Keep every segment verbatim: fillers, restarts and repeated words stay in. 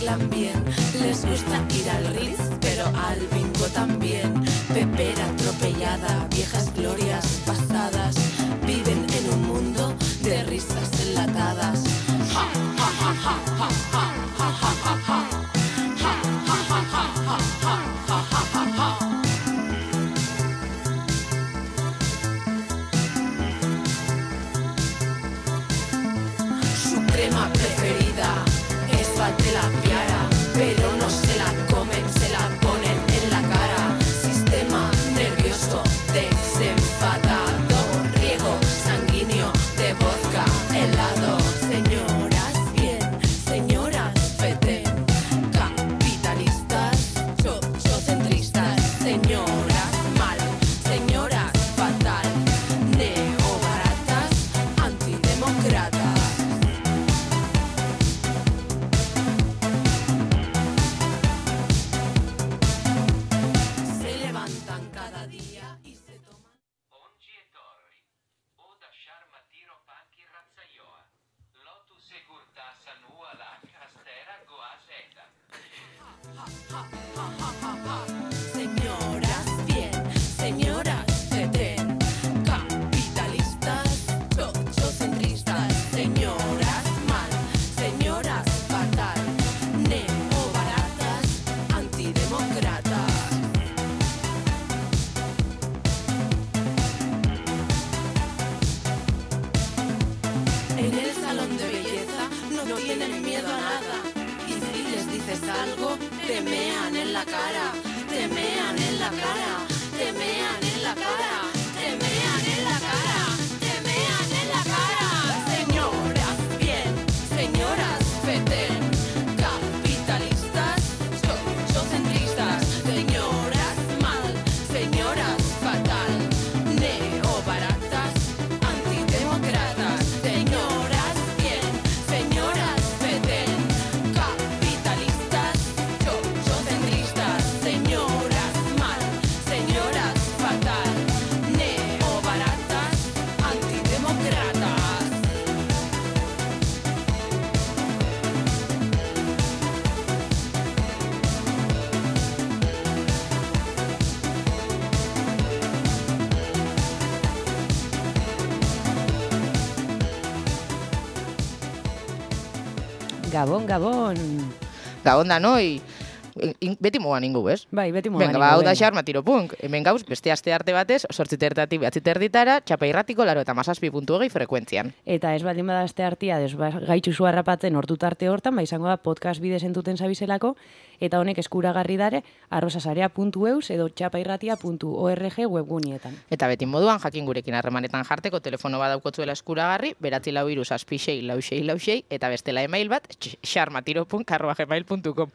bailan bien. Les gusta ir al Ritz, pero al bingo también. Pepera atropellada, viejas glorias pasadas. Viven en un mundo de risas enlatadas. Ja, ja, ja, ja, ja, ja, ja, ja, ja, ja. Ja, ja, ja, ja, ja, ja, ja, ja, ja, ja. Su crema preferida es la piara, pero no se la comen, se la ponen en la cara. Sistema nervioso desenfadado, riego sanguíneo de vodka helado. Señoras bien, señoras feten, capitalistas, sociocentristas. Señoras mal, señoras fatal, neobaratas, antidemócratas. Señoras bien, señoras feten, capitalistas, sociocentristas. Señoras mal, señoras fatal, neobaratas, antidemócratas. En el salón de belleza no tienen miedo a nada. Y si les dices algo, te mean en la cara, te mean en la cara, te mean en la cara, te mean en la cara, te mean en la cara. Señoras bien, señoras feten, capitalistas, sociocentristas. Señoras mal, señoras fatal, neobaratas, antidemócratas. Señoras bien, señoras feten, capitalistas, sociocentristas. Señoras mal, señoras fatal, neobaratas, antidemócratas. Gabon, Gabon. Gabon danoi. In- Beti mogan ingu, ez? Bai, beti mogan Venga, ba, hau da xarma tiropunk. Hemen gauz, beste aste arte batez, sortzi tertatik behatzi terditara, txapa irratiko laro eta mazazpi puntu hogei frekuentzian. Eta ez baldin bada aste artia, des ba, gaitxu zu harrapatzen ordu tarte hortan, ba izango da podcast bidez entuten zabizelako, eta honek eskuragarri dare arrosasarea puntu eus edo txapairratia puntu org webgunietan. Eta beti moduan, jakin gurekin harremanetan jarteko telefono bat daukotzuela eskuragarri, beratzi lau iru zazpi sei lau sei lau sei, eta bestela email bat, xarmatiropunk arroba gmail puntu com.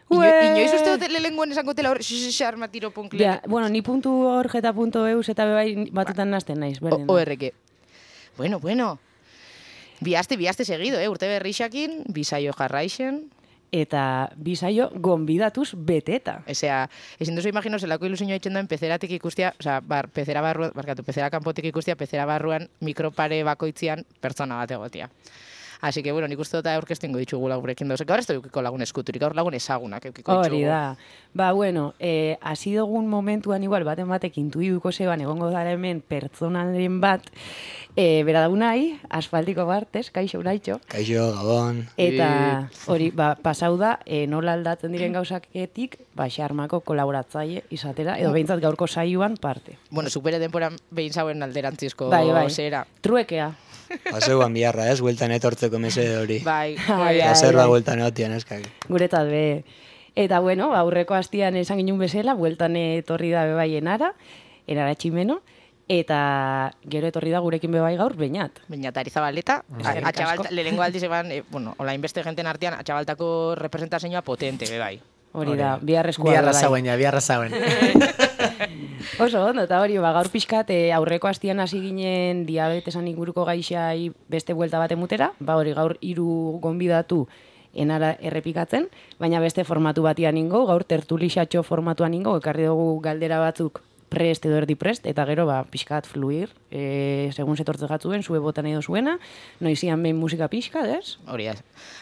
Ino, inoiz uste dut lehengoen esango tela hor, xarmatiropunk. Ja, bueno, ni puntu org eta puntu eus eta bebai batutan nazten naiz. berdin da. O R G. Bueno, bueno. Biaste, biaste seguido, eh? Urte berrixakin, bisaio jarraixen. Eta bisaio gonbidatuz beteta. Osea, ezin duzu imagino zelako ilusioa itzen duen pezeratik ikustia, osea, bar, pezera barruan, barkatu, pezera kanpotik ikustia, pezera barruan mikropare bakoitzian pertsona bat egotia. Así que, bueno, nik uste dut aurkeztu ingo ditugula gurekin dauzek. Gaur ez da eukiko lagun eskuturik, gaur lagun ezagunak eukiko ditugu. Hori da. Ba, bueno, eh, hasi dugun momentuan igual baten batek intuiduko zeban egongo dara hemen pertsonalen bat, eh, bera da unai, asfaltiko bartez, kaixo unaitxo. Kaixo, Gabon. Eta hori, ba, pasau da, eh, nola aldatzen diren gauzaketik, ba, xarmako kolaboratzaile izatera, edo behintzat gaurko saioan parte. Bueno, supere denporan behin zauen alderantzizko Bai, bai. zera. Truekea. Paseuan biharra, ez? Bueltan etortzeko mesede hori. Bai, Ai, Eta ai, zer da ai. bueltan egotian, eskak. Guretzat be. Eta bueno, aurreko astian esan ginen bezala, bueltan etorri da bebai enara, enara tximeno, eta gero etorri da gurekin bebai gaur beñat. Beñatari Zabaleta, Eskerrik atxabalt, asko. lehengo aldiz eban, eh, bueno, hola inbeste jenten artean, atxabaltako representazioa potente, be bai. Hori da, biharrezkoa Biharra bebai. zauen, ja, biharra zauen. Oso ondo, eta hori, ba, gaur pixkat, eh, aurreko astian hasi ginen diabetesan inguruko gaixai beste buelta bat emutera, ba hori gaur hiru gonbidatu enara errepikatzen, baina beste formatu batian ingo, gaur tertulixatxo formatuan ingo, ekarri dugu galdera batzuk prest edo erdi prest, eta gero, ba, pixkat fluir, e, segun zetortze gatzuen, zue botan edo zuena, noizian behin musika pixkat, ez? Hori ez.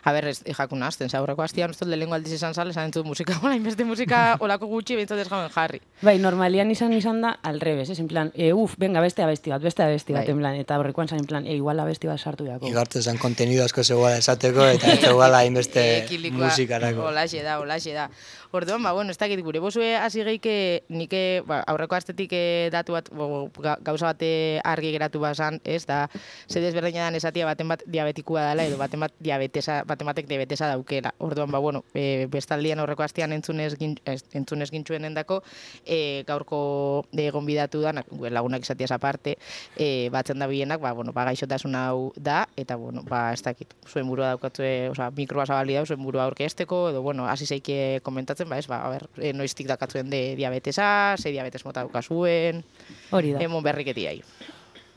A ber, ez jakun azten, zaurreko hastian, uste lehenko aldiz izan zale, esan entzut musika, hola, inbeste musika olako gutxi, bintzat ez gauen jarri. Bai, normalian izan izan da, al revés, ez, en plan, e, uf, venga, beste abesti bat, beste abesti bat, Bai. en plan, eta horrekoan zan, en plan, e, igual abesti bat sartu jako. Igartu zen kontenido asko zegoela esateko, eta ez zegoela hainbeste Ekilikoa, musikarako. Olaxe da, olaxe da. Orduan, ba, bueno, ez dakit, gure bozue hasi geike, nike, ba, aurreko astetik eh, datu bat, bo, ga- gauza bate argi geratu bazan, ez, da, ze desberdina dan esatia baten bat diabetikua dela, edo baten bat diabetesa, baten batek diabetesa daukela. Orduan, ba, bueno, e, bestaldian aurreko astean entzunez, gin, ez, entzunez gintxuen endako, e, gaurko e, gonbidatu da, gure lagunak esatiaz aparte, e, batzen da bienak, ba, bueno, ba, gaixotasun hau da, eta, bueno, ba, ez dakit, zuen burua daukatue, osea, mikroa zabali dau, zuen burua aurkezteko, edo, bueno, hasi zeike komentatzen, ba, ez, ba, a ber, e, noiztik dakatzuen de diabetesa, ze diabetes mota daukazuen, Hori da. emon berriketiai.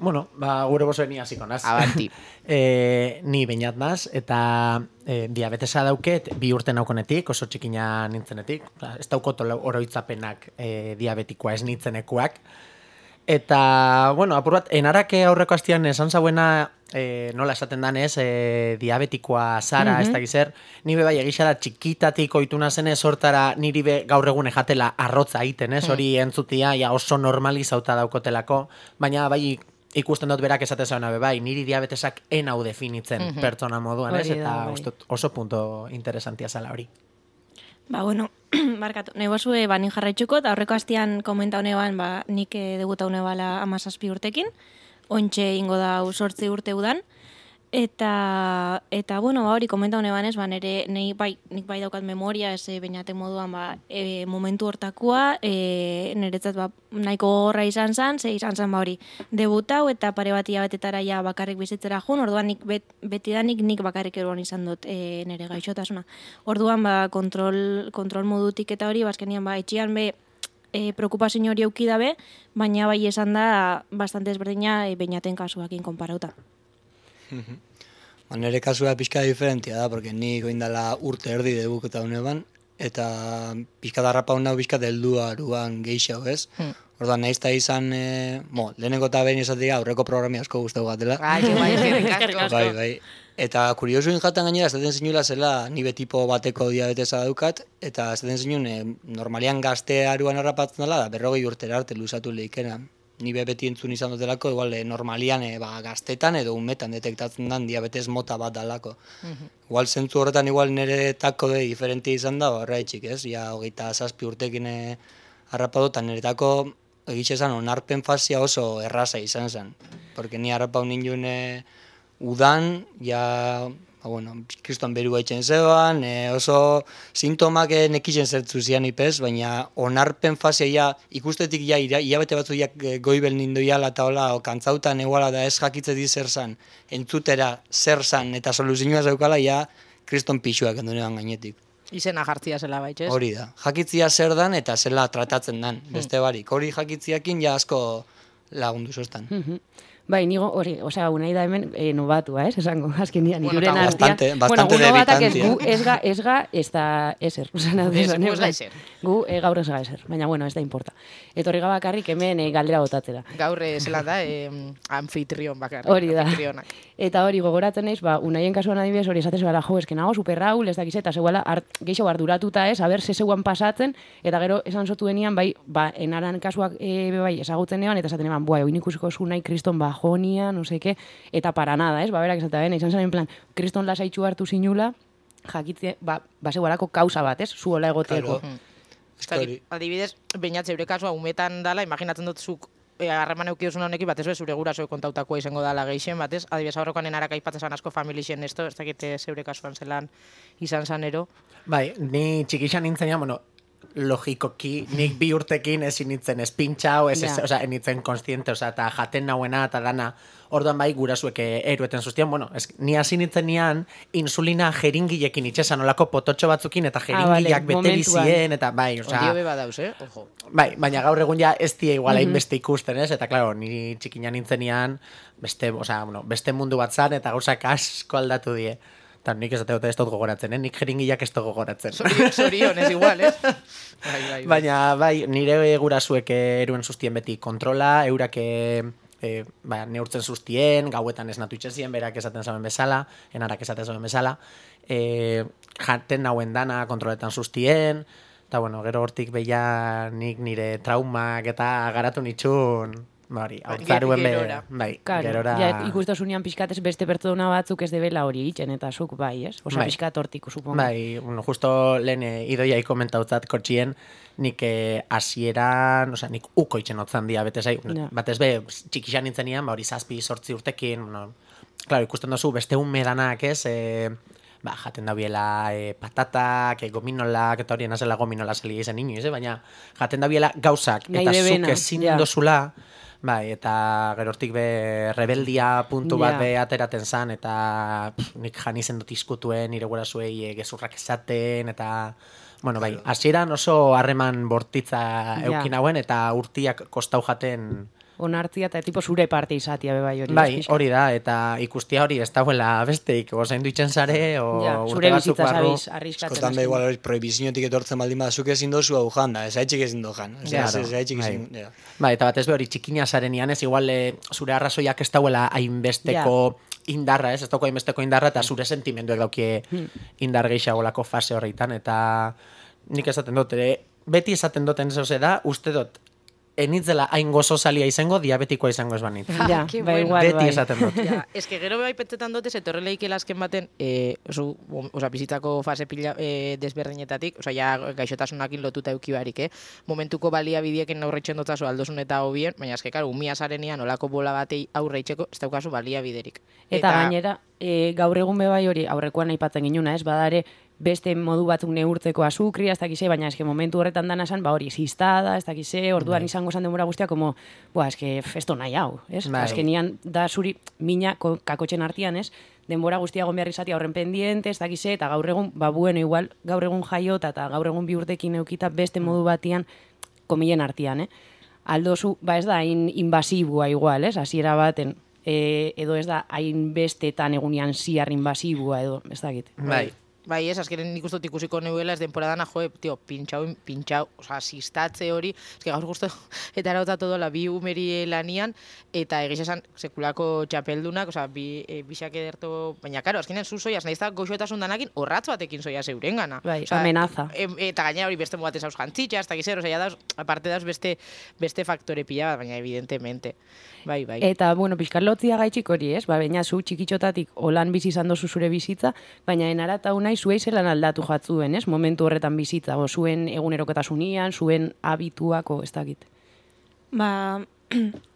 Bueno, ba, gure bozoen ni hasiko naz. Abanti. e, ni bainat naz, eta e, diabetesa dauket bi urte naukonetik, oso txikina nintzenetik. Ba, ez daukot oroitzapenak e, diabetikoa ez nintzenekuak. Eta, bueno, apur bat, enarake aurreko hastian esan zauena, e, nola esaten danez, e, diabetikoa zara, Mhm. ez dakiz zer, ni be bai egisa da txikitatik oituna zenez hortara niri be gaur egun ejatela arrotza egiten, ez, hori entzutia ja oso normalizauta daukotelako, baina bai ikusten dut berak esate zauna be bai, niri diabetesak enau definitzen pertsona moduan, ez, Hori da, eta bai. uste dut oso punto interesantia zala hori. Ba, bueno, barkatu, nahi bozue, ba, nik jarraitzuko, eta horreko hastian komenta honeban, ba, nik eh, debuta honebala amazazpi urtekin, ontxe ingo da sortzi urte udan, eta, eta bueno, ba, hori komenta honeban ez, ba, nire, nei, bai, nik bai daukat memoria, ez e, bainaten moduan, ba, e, momentu hortakoa, e, niretzat, ba, nahiko gogorra izan zen, ze izan zen, ba, hori, debutau, eta pare bat hilabetetara ja bakarrik bizitzera jun, orduan nik bet, betidanik nik bakarrik eruan izan dut e, nire gaixotasuna. Orduan, ba, kontrol, kontrol modutik eta hori, bazkenian, ba, etxian be, e, preokupazio hori euki dabe, baina bai esan da, bastante ezberdina e, beinaten kasuakin konparauta. Ba, nire kasua pixka diferentia da, porque ni goindala urte erdi debuketa honeban, eta pixka darrapa hona pixka deldu aruan geixau, ez? Hmm. Orduan, nahiz ta izan, e, bo, lehenengo eta behin esatik aurreko programi asko guztau gatela. Ai, que bai, eskerrik asko. Bai, bai. Eta kuriosu injatan gainera, esaten zinula zela nibe tipo bateko diabetesa daukat, eta esaten zinun, e, normalian gazte aruan harrapatzen dela, da berrogei urtera arte luzatu leikena. Ni be beti entzun izan dutelako, igual, e, normalian e, ba, gaztetan edo umetan detektatzen den diabetes mota bat dalako. Igual zentzu horretan igual nire tako de diferente izan da, horreitxik, ez? Ja, hogeita zazpi urtekin e, harrapatu, eta niretako egitxe esan onarpen fazia oso erraza izan zen. Porque ni harrapau ninduen e, udan, ja, ba, bueno, kriston beru haitzen zeban, e, oso sintomak e, nekixen zertzu zian ipez, baina onarpen fazia ja, ikustetik ja, ira- hilabete batzu ja e, goibel nindu jala eta hola, o, kantzautan eguala da ez jakitzeti zer zan, entzutera zer zan eta soluzioa zeukala, ja, kriston pixuak endunean gainetik. Izena jartzia zela baitxez. Hori da, jakitzia zer dan eta zela tratatzen dan, beste barik. Hori jakitziakin ja asko lagundu zoztan. Mhm. Bai, nigo hori, osea, unai da hemen e, nobatua, ez, esango, azkenian, Bueno, iruren eta artean. bastante- bastante bueno, gu nobatak ez, debitantia. gu ez ga, ez ga, ez da eser. Osea, Ez, gu ez ga ezer. Gu e, gaur ez ga eser, baina bueno, ez da importa. Etorri bakarrik hemen e, galdera botatzera. Gaur eh, zelan da, eh, anfitrion bakar. Hori da. Anfitrionak. Eta hori gogoratzen naiz, ba, unaien kasuan adibidez hori esatez bala, jo, eske nago super raul, ez dakiz, eta zegoela art, geixo arduratuta ez, aber ze zeuan pasatzen, eta gero esan zotuenian, bai, ba, enaran kasuak e, be bai, ezagutzen eban, eta esaten eban, bua, oin ikusiko zu nahi kriston bajonia, no seke, eta para nada, ez, ba, berak esatea bena, izan zen en plan, kriston lasaitxu hartu zinula, jakitze, ba, ba zegoelako kausa bat, ez, zuola egoteko. Claro. Ez dakit, adibidez, bainat zeure kasua umetan dala, imaginatzen dut zuk e, harreman eukidozun honekin, batez be, zure gurasoek kontautakoa izango dala geixen, batez, adibidez, aurrekoan enarak aipatzen asko familixen esto, ez dakit eh, zeure kasuan zelan izan zanero. Bai, ni txikixan nintzen, bueno, logikoki, nik bi urtekin ezin nintzen espintxau, ez, ez, Ja. osea, nintzen konstiente, osea, eta jaten nauena, eta dana, orduan bai gurasuek erueten zuztian, bueno, ez, ni hasi nintzen nian, insulina jeringilekin itxesan, olako pototxo batzukin, eta jeringileak bete momentuan. bizien, eta bai, osea, Ondio beba dauz, eh? Ojo. bai, baina gaur egun ja ez die igual hainbeste ikusten, ez? Eta claro, ni txikina nintzenian beste, osea, bueno, beste mundu bat zan eta gauzak asko aldatu die. Eta nik esate dut ez dut gogoratzen, eh? Nik jeringilak ez dut gogoratzen. Zorion, zorion, ez igual, ez? Bai, bai, bai. Baina, bai, nire gurasuek eruen sustien beti kontrola, eurak e, e, ba, neurtzen sustien, gauetan esnatu itxezien, berak esaten zaben bezala, enarak esaten zaben bezala, e, jaten nauen dana kontroletan sustien, eta bueno, gero hortik beia nik nire traumak eta garatu nitxun, Bari, hautzaruen be, bai, claro, gerora... Ja, ikustasunean pixkatez beste pertsona batzuk ez debela hori egiten, eta zuk bai, ez? Osa, bai. pixkat hortik, supongo. Bai, bueno, justo lehen eh, idoiai komentautzat kotxien, nik eh, hasieran, osea, nik uko itxen otzan diabetesai, Ja. batez be, txikixan nintzen nian, ba, hori zazpi, sortzi urtekin, bueno, claro, ikusten duzu, beste unmedanak, ez, eh, ba, jaten dabiela e, patatak, e, gominolak, eta hori nazela gominola salia izan inoiz, eh? Baina jaten dabiela gauzak, Nahi eta debena, zuk ezin ja. dozula, bai, eta gerortik be rebeldia puntu bat Ja. be ateraten zan, eta pff, nik jan izen dut izkutuen, nire gurasuei e, gezurrak esaten, eta... Bueno, bai, hasieran oso harreman bortitza Ja. eukin hauen, eta urtiak kostau jaten... Onartzia eta tipo zure parte izatia be bai hori. Bai, ez, pixka. hori da, eta ikustia hori ez dagoela besteik, gozain duitzen zare, o Ja, urte zure batzuk bizitza barru. zabiz, arriskatzen. Eskotan be hasi. igual hori prohibiziotik etortzen baldin badazuk ezin dozu hau janda, ez haitxik ezin do jan. Ez Claro, ez haitxik bai. ezin, ja. Bai, eta batez be hori txikina zarenian, ez igual e, zure arrazoiak ez dauela hainbesteko indarra, ez, ez dauko hainbesteko indarra, eta zure sentimenduek daukie indar gehiagolako fase horreitan, eta nik esaten dut, ere, beti esaten duten ez da, uste dut, enitzela hain gozosalia izango, diabetikoa izango ez banit. Ja, Ke bai, bueno. igual, Beti bai. esaten dut. Ja, ez que gero bai pentsetan dute, zetorreleik elazken baten, e, oso, oza, bizitzako fase pila e, desberdinetatik, oza, ja, gaixotasunakin lotuta euki barik, eh? Momentuko baliabidiekin aurreitzen dutazu aldozun eta hobien, baina eske, karo, umia zarenian olako bola batei aurreitzeko, ez daukazu baliabiderik. Eta, gainera, e, gaur egun be bai hori, aurrekoan aipatzen ginuna, ez? Badare, beste modu batzuk neurtzeko azukria, ez dakize, baina eske momentu horretan dana esan, ba hori, zistada, ez dakize, orduan izango esan denbora guztia, como, buah, eske festo nahi hau, ez? Bai. Eske nian da zuri mina ko- kakotxen artian, ez? Denbora guztia egon behar izatea horren pendiente, ez dakize, eta gaur egun, ba bueno, igual, gaur egun jaiota eta gaur egun bi urtekin eukita beste modu batian, komilen artian, eh? Aldozu, ba ez da, hain invasibua igual, ez? Hasiera baten, e, edo ez da, hain bestetan egunian ziar invasibua, edo, ez dakit. Bai, bai, ez, azkenen nik ustot ikusiko neuela ez denporadana, joe, tio, pintxau, pintxau, oza, sistatze hori, ez que gaur guztu, eta erauta todola bi umeri lanian, eta egiz esan, sekulako txapeldunak, oza, bi, e, bixak ederto, baina, karo, azkenen zu soiaz, nahiz da goxoetasun danakin, horratz batekin soia zeuren gana. Bai, amenaza. E, eta gaina hori beste mugatez hauz jantzitxa, hasta gizero, oza, dauz, aparte dauz beste, beste faktore pila bat, baina, evidentemente, bai, bai. Eta, bueno, pixkar lotzia gaitxik hori, ez? Ba, baina zu txikitxotatik holan bizi izan dozu zure bizitza, baina enarata unai zuei zelan aldatu jatzuen, ez? Momentu horretan bizitza, o, zuen egunerokotasunean, zuen habituako, ez dakit. Ba,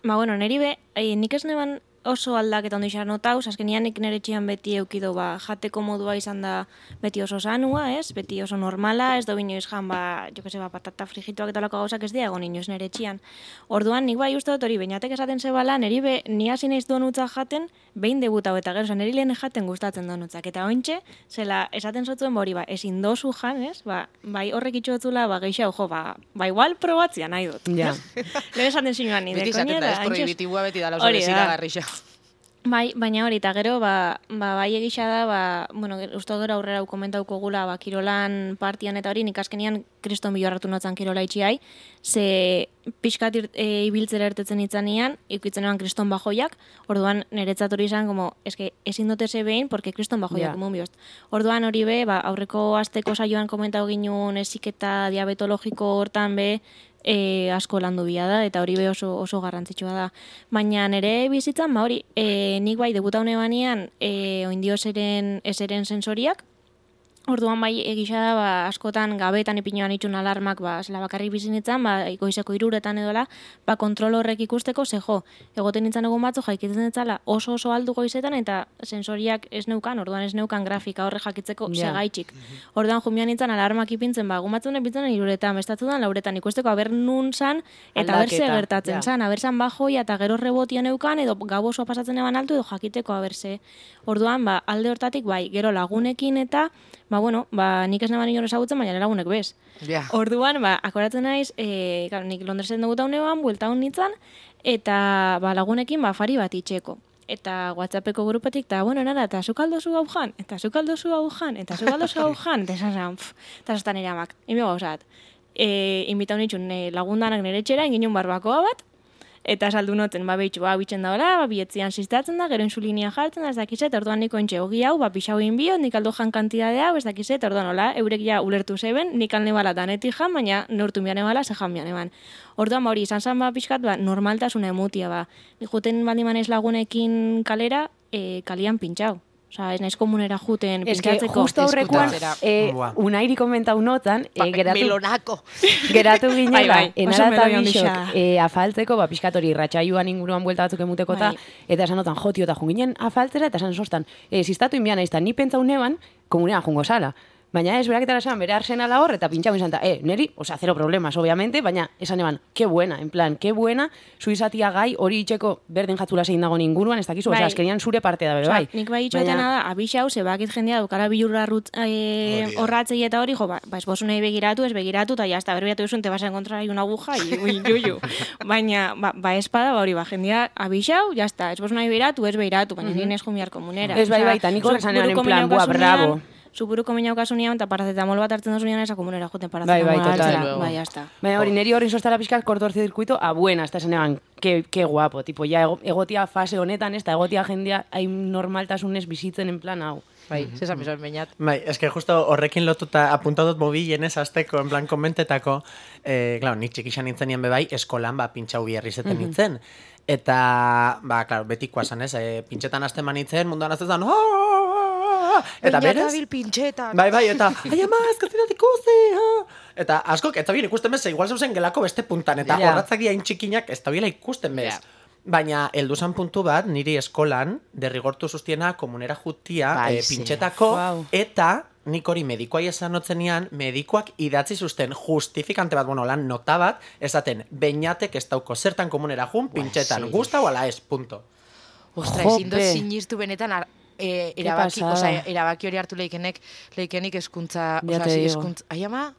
ba bueno, neri be, eh, nik ez neban oso aldaketa ondo izan notauz, azkenian nik nire txian beti eukido, ba, jateko modua izan da beti oso sanua, ez? Beti oso normala, ez do binoiz jan, ba, jo que se, ba, patata frigituak eta olako gauzak ez dira egon inoiz nire txian. Orduan, nik bai uste dut hori, bainatek esaten zebala, neri be, ni hasi naiz donutzak jaten, behin debutau eta gero, neri lehen jaten gustatzen donutzak. Eta ointxe, zela, esaten zotzuen, ba, hori, ba, ezin dozu jan, ez? Ba, bai horrek itxotzula, ba, geixau, jo, ba, ba, igual probatzia nahi dut. Ja. Lehen esaten zinuan, nire Beti izaten da, ez prohibitibua beti dala oso Hori da. desiragarrixa. Bai, baina hori, eta gero, ba, ba, bai egisa da, ba, bueno, uste gero aurrera hau komentauko gula, ba, kirolan partian eta hori, nik azkenian kriston bilorratu notzan kirola itxiai, ze pixkat ir, e, ibiltzera ertetzen itzanian, ikutzen eban kriston bajoiak, orduan niretzat hori izan, como, eske, ezin dute ze behin, porque kriston bajoiak, Ja. yeah. biost. Orduan hori be, ba, aurreko asteko saioan komentau ginun eziketa diabetologiko hortan be, e, asko landu bia da, eta hori be oso, oso garrantzitsua da. Baina nire bizitzan, ba hori, e, nik bai debuta hone banean, e, oindio eseren, eseren sensoriak, orduan bai egisa da, ba, askotan gabetan ipinoan itxun alarmak, ba, zela bakarrik bizinitzen, ba, goizeko iruretan edola, ba, kontrol horrek ikusteko, ze jo, egoten nintzen egun batzu jakitzen ditzala oso oso aldu goizetan, eta sensoriak ez neukan, orduan ez neukan grafika horre jakitzeko Ja. segaitxik. Orduan jumian nintzen alarmak ipintzen, ba, gumatzen epintzen iruretan, bestatzudan lauretan ikusteko, aber nun zan, eta aber ze Aldaketa, gertatzen ja. zan, aber zan bajoia eta gero rebotia neukan, edo gau osoa pasatzen eban altu, edo jakiteko aber ze. Orduan, ba, alde hortatik, bai, gero lagunekin eta, ba, bueno, ba, nik ez naban inor ezagutzen, baina lagunek bez. Ja. Orduan, ba, akoratzen naiz, e, claro, nik Londresen dugu taunean, buelta hon nintzen, eta ba, lagunekin ba, afari bat itxeko. eta WhatsAppeko grupetik, eta, bueno, nara, eta zuk aldozu hau jan, eta zuk aldozu hau jan, eta zuk aldozu hau jan, eta esan zan, eta zaztan ere amak. Ime gauzat, e, inbitau nitxun e, lagundanak nire etxera, ingin barbakoa bat, eta saldu noten, ba, behitxu, ba, bitxen daola, ba, bietzian sistatzen da, gero insulinia jartzen da, ez dakizet, orduan niko entxe hogi hau, ba, pixau inbio, nik aldo jan kantidade hau, ez dakizet, orduan, hola, eurek ja ulertu zeben, nik alne bala danetik jan, baina neurtu mian ebala, ze jan mian eban. Orduan, ba, hori, izan zan, ba, pixkat, ba, normaltasuna emutia, ba, nik juten bandimanez lagunekin kalera, e, kalian pintxau. Osa, ez naiz komunera juten Ez que pintxatzeko. justo aurrekoan, eh, Buah. unairi komentau notan, eh, geratu, Melonako. geratu Bai, ginela, bai, oso enara eta meloi bixok handixea. eh, afaltzeko, ba, pixkatori ratxaiuan inguruan buelta batzuk emuteko eta, Bai. eta esan notan, jotio eta junginen afaltzera, eta esan sostan, eh, ziztatu inbian aiztan, ni pentsau neban, komunera jungo sala. Baina ez, beraketara esan, bere arsenala hor, eta pintxau izan, eh, neri, osea, zero problemas, obviamente, baina esan eban, ke buena, en plan, ke buena, zu izatia gai, hori itxeko berdin jatzula zein dago inguruan, ez dakizu, osea, Bai. azkenian zure parte da, bere, Osea, bai. nik bai itxoetena da, abixau, ze bakit jendea dukara bilurra rut, e, Hori da. horratzei eta hori, jo, ba, ba esbozu nahi begiratu, ez begiratu, eta jazta, berbiatu duzun, te vas a encontrar una aguja, y ui, yuyu. Baina, ba, ba espada, ba hori, ba, jendea abixau, jazta, esbozu nahi begiratu, ez begiratu, baina nien ez jumiar komunera. Ez, bai, Osea, bai, eta nik horrek zuk zanean, en buruko plan, minau buah, kasunean, bravo. Zu buruko minau kasunean, eta paracetamol bat hartzen dozunean, esa komunera joten Bai, paracetamol bai, total. hartzera. Bai, jazta. Baina hori, neri hori sostara pixkat kortorcircuito a buena, hasta esanean, que, que guapo, tipo, ya ego- egotia fase honetan, ez da, egotia jendea hain normaltasunez bizitzen en plan hau. Bai, zesan bizan bainat. Bai, eske justo horrekin lotuta apuntadot mobilenez azteko, en plan, komentetako, eh, claro, nik txikixan nintzen nien bebai, eskolan, ba, pintxau biherrizeten nintzen. Eta, ba, claro, betikoa zan, ez, eh, pintxetan azten manitzen, munduan azten eta berez, Bainabil pintxetan. bai, bai, eta, ai ama, ezkazidat ikusi, ha? Eta askok, ez da bien ikusten bez, igual zeuzen gelako beste puntan, eta Ja. horratzak hain txikinak ez da biela ikusten bez. Ja. Baina, heldu zan puntu bat, niri eskolan, derrigortu sustiena komunera jutia, Bai, eh, ze. pintxetako, Wow. eta nik hori medikoa esan otzenean, medikoak idatzi zuzten justifikante bat, bueno, lan nota bat, esaten, beinatek ez dauko zertan komunera jun, pintxetan, sí. gustau ala ez, punto. Ostra, Jope. ezin dut sinistu benetan ar, e, erabaki, pasada. osea, erabaki hori hartu leikenek, leikenik eskuntza, Ya osea, te si digo. eskuntza, ai ama,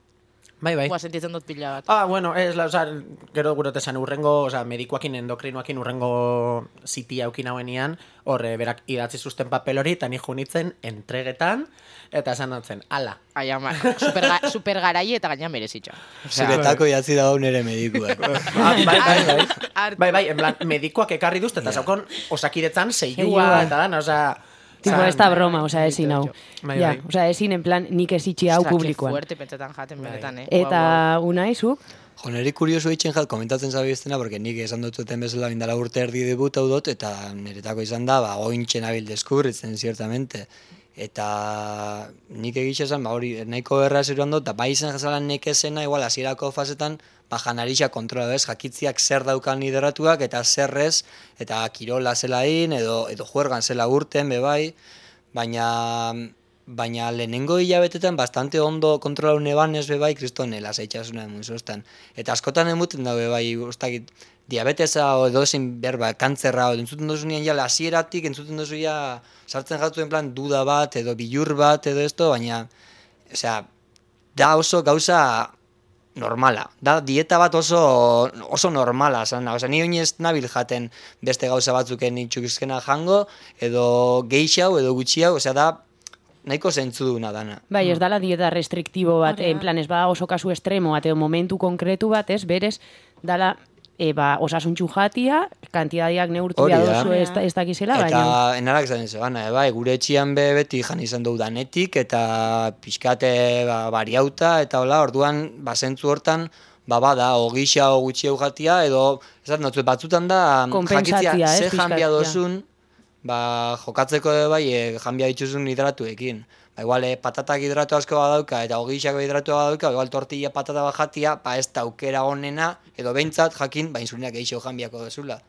Bai, bai. Gua sentitzen dut pila bat. Ah, bueno, ez, la, oza, gero gurote esan urrengo, oza, medikoakin, endokrinoakin urrengo zitia aukin hauenian, horre, berak idatzi zuzten papel hori, eta ni junitzen entregetan, eta esan dutzen, ala. Ai ama, super, ga, super garai eta gaina merezitxo. Zuretako jatzi dago nire medikuak. Ah, bai, bai, bai. Hartu. Bai, bai, en plan, medikoak ekarri duzte, eta zaukon osakidetzan Seilua. seilua, eta dan, oza... Tipo, oza, ez da broma, osea, ezin hau. Bai, Ja, bai. osea, ezin, en plan, nik ezitxi hau Ostra, que publikoan. fuerte pentsetan jaten benetan, eh? Eta unaizuk, Jo, niri kurioso itxen jat, komentatzen zabiztena, porque nik esan dut zuten bezala indala urte erdi debutau dut, eta niretako izan da, ba, ointxe nabil deskubritzen, ziertamente. Eta nik egixe esan, ba, hori nahiko erra zeruan dut, eta bai izan jazalan nekezena, igual, hasierako fasetan, ba, janarixa kontrola bez, jakitziak zer daukan lideratuak, eta zerrez, eta kirola zelain, edo, edo juergan zela urten, bebai, baina... Baina lehenengo hilabetetan bastante ondo kontrolau neban ez bebai kristone lasaitxasuna emun Eta askotan emuten da bebai, ustakit, diabetesa o edo ezin berba, kantzerra, o entzuten dozu nian ja hasieratik entzuten dozu ja sartzen jatu en plan duda bat, edo bilur bat, edo esto, baina, osea, da oso gauza normala. Da dieta bat oso oso normala, zan, osea, ni oinez nabil jaten beste gauza batzuken itxukizkena jango, edo geixau, edo gutxiau, osea, da nahiko zentzuduna dana. bai, ez dala dieta restriktibo bat, Hori da. en plan, ez bada oso kasu estremo bat, edo momentu konkretu bat, ez, berez, dala, e, ba, osasuntxu jatia, kantidadiak neurtu Hori da. dozu ez, ez dakizela, baina... Eta enarak zaten zebana, bai, gure etxian be beti jan izan dugu danetik, eta pixkate ba, bariauta, eta hola, orduan, ba, zentzu hortan, ba, bada, ogisa o gutxi jatia, edo, ez da, batzutan da, Konpentsatzia, jakitzia, ez, ze pixkat, janbia ja. dozun, ba, jokatzeko ere bai, e, janbia dituzun hidratuekin. Ba, igual, e, patatak hidratu asko badauka, eta ogixak hidratu badauka, igual tortilla patata bat jatia, ba, ez da aukera honena, edo behintzat jakin, ba, insulinak gehiago janbiako dozula.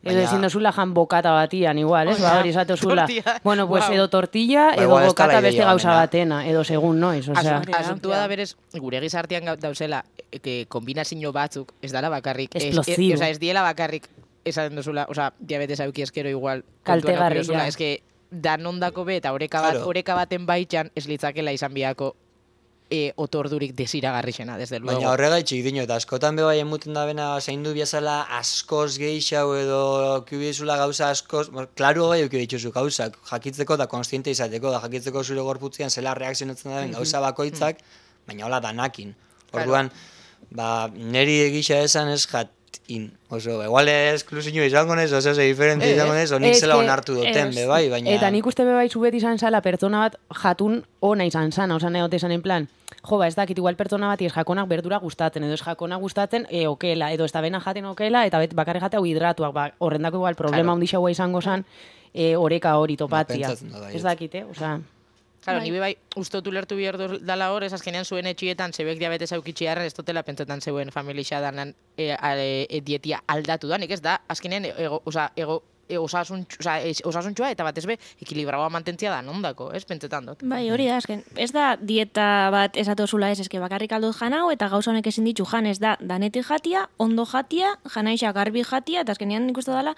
Edo ezin dozula jan bokata batian igual, ez? Ba, hori esatozula. Tortilla. Bueno, pues Guau. edo tortilla, Ba, edo igual ez bokata dala beste ideia gauza onena. batena, edo segun noiz, osea. Asun- Asuntua da berez, gure gizartean gau- dauzela, e, que kombinazio batzuk, ez dala bakarrik. Ez- Explosivo. Ez, oza, ez diela bakarrik, esaten duzula, oza, diabetes auki eskero igual. Kaltegarria. kontuan eduki duzula, Ez que, danondako be, eta oreka, bat, Claro. oreka baten baitxan, ez litzakela izan biako e, otordurik desiragarrixena, desde luego. Baina horregaitxik dino, eta askotan bebai emuten da bena zaindu biazala askoz geixau edo kibizula gauza askoz, klaru gai euki dituzu gauzak, jakitzeko eta konstiente izateko, da jakitzeko zure gorputzean zela reakzionatzen da ben gauza bakoitzak, baina hola danakin. Orduan, ba, neri egisa esan ez jatin. Oso, igual esklusio izango nez, oso, ze diferente izango nez, onik zela onartu duten, bebai, baina... Eta nik uste bebai zubet izan zala pertsona bat jatun ona izan zana, osan egote esan en plan, jo, ba, ez dakit, igual pertsona bat ez jakonak berdura gustatzen, edo ez jakonak gustatzen e, okela, edo ez da bena jaten okela, eta bet, bakarri jate hau hidratuak, ba, horrendako igual problema hundi xaua izango zan, e, oreka hori topatzia. Ez dakit, eh, osa... Claro, ni bai, ustotu lertu bihar dala hor, ez azkenean zuen etxietan zebek diabetes aukitxiarren, ez dutela pentsetan zeuen familia danan e, e, dietia aldatu da, nik ez da, azkenean ego, oza, ego, e, osasun, oza, e, osasuntxoa eta batez be, ekilibragoa mantentzia da nondako, ez pentsetan dut. Bai, hori da, azken, ez da dieta bat esatozula ez, eske bakarrik aldut janau, eta gauza honek ezin ditu jan, ez da, danetik jatia, ondo jatia, janaixa garbi jatia, eta azkenean nik uste dela,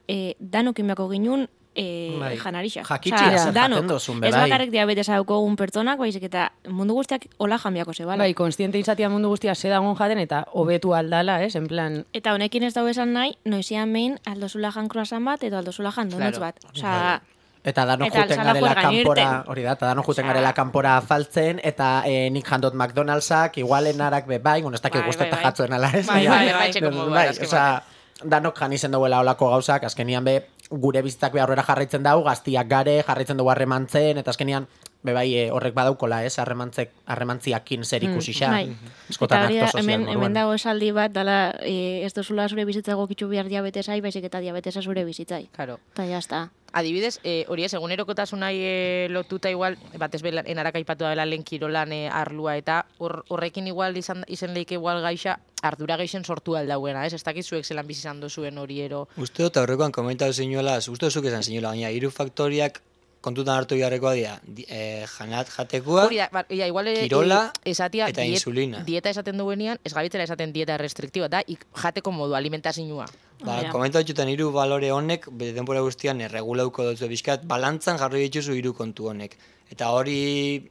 e, danokin beako ginun, E, bai. janarixa. Jakitxia zer jaten dozun, ez bakarrik diabetesa daukogun pertsonak, baizik eta mundu guztiak hola janbiako zebala. Bai, konstiente izatea mundu guztia sedagon jaten eta hobetu aldala, ez, en plan... Eta honekin ez dago esan nahi, noizian behin aldozula jan croissant bat edo aldozula jan donuts Claro. bat. Osea, Eta dano Eta juten alzala garela juergan kanpora, irten. hori da, eta dano juten garela kanpora faltzen, eta eh, nik jandot McDonald'sak, igualen arak be bai, bueno, ez dakit Bai, guztetan bai, bai. jatzuen ala, ez? Bai, Baina- bai, bai. Bai, bai, bai, azken osea, danok jan izen duela olako gauzak, azkenian be, gure bizitzak be aurrera jarraitzen dau, gaztiak gare, jarraitzen dugu harremantzen, eta azkenian, be bai, eh, horrek badaukola, ez, harremantzek, harremantziakin zer ikusixa. bai. Askotan Eta hori da, akto sozial hemen, moduan. hemen dago esaldi bat, dala, e, ez dozula zure bizitza gokitzu behar diabetesai, baizik eta diabetesa zure bizitzai. Claro. Eta jazta. Adibidez, eh, hori ez, egunerokotasunai eh, lotuta igual, batez be enarak aipatu dela lehen kirolan eh, arlua, eta hor, horrekin igual izan, izen leike igual gaixa, ardura geixen sortu aldauena, ez? Ez dakit zuek zelan bizizan dozuen hori ero. Uste dut aurrekoan komentatu zinuela, uste zuk esan zinuela, baina hiru faktoriak kontutan hartu beharrekoa dira, di- eh, janat jatekoa, Hori da, ba, ja, igual eh, kirola eh, esatia eta insulina. Dieta esaten duenean, ez gabitzela esaten dieta restriktiba, da ik, jateko modu, alimentazioa. ba, Hori da. komentatxutan hiru balore honek, bere denbora guztian erregulauko dutzu bizkat, balantzan jarri dituzu hiru kontu honek. Eta hori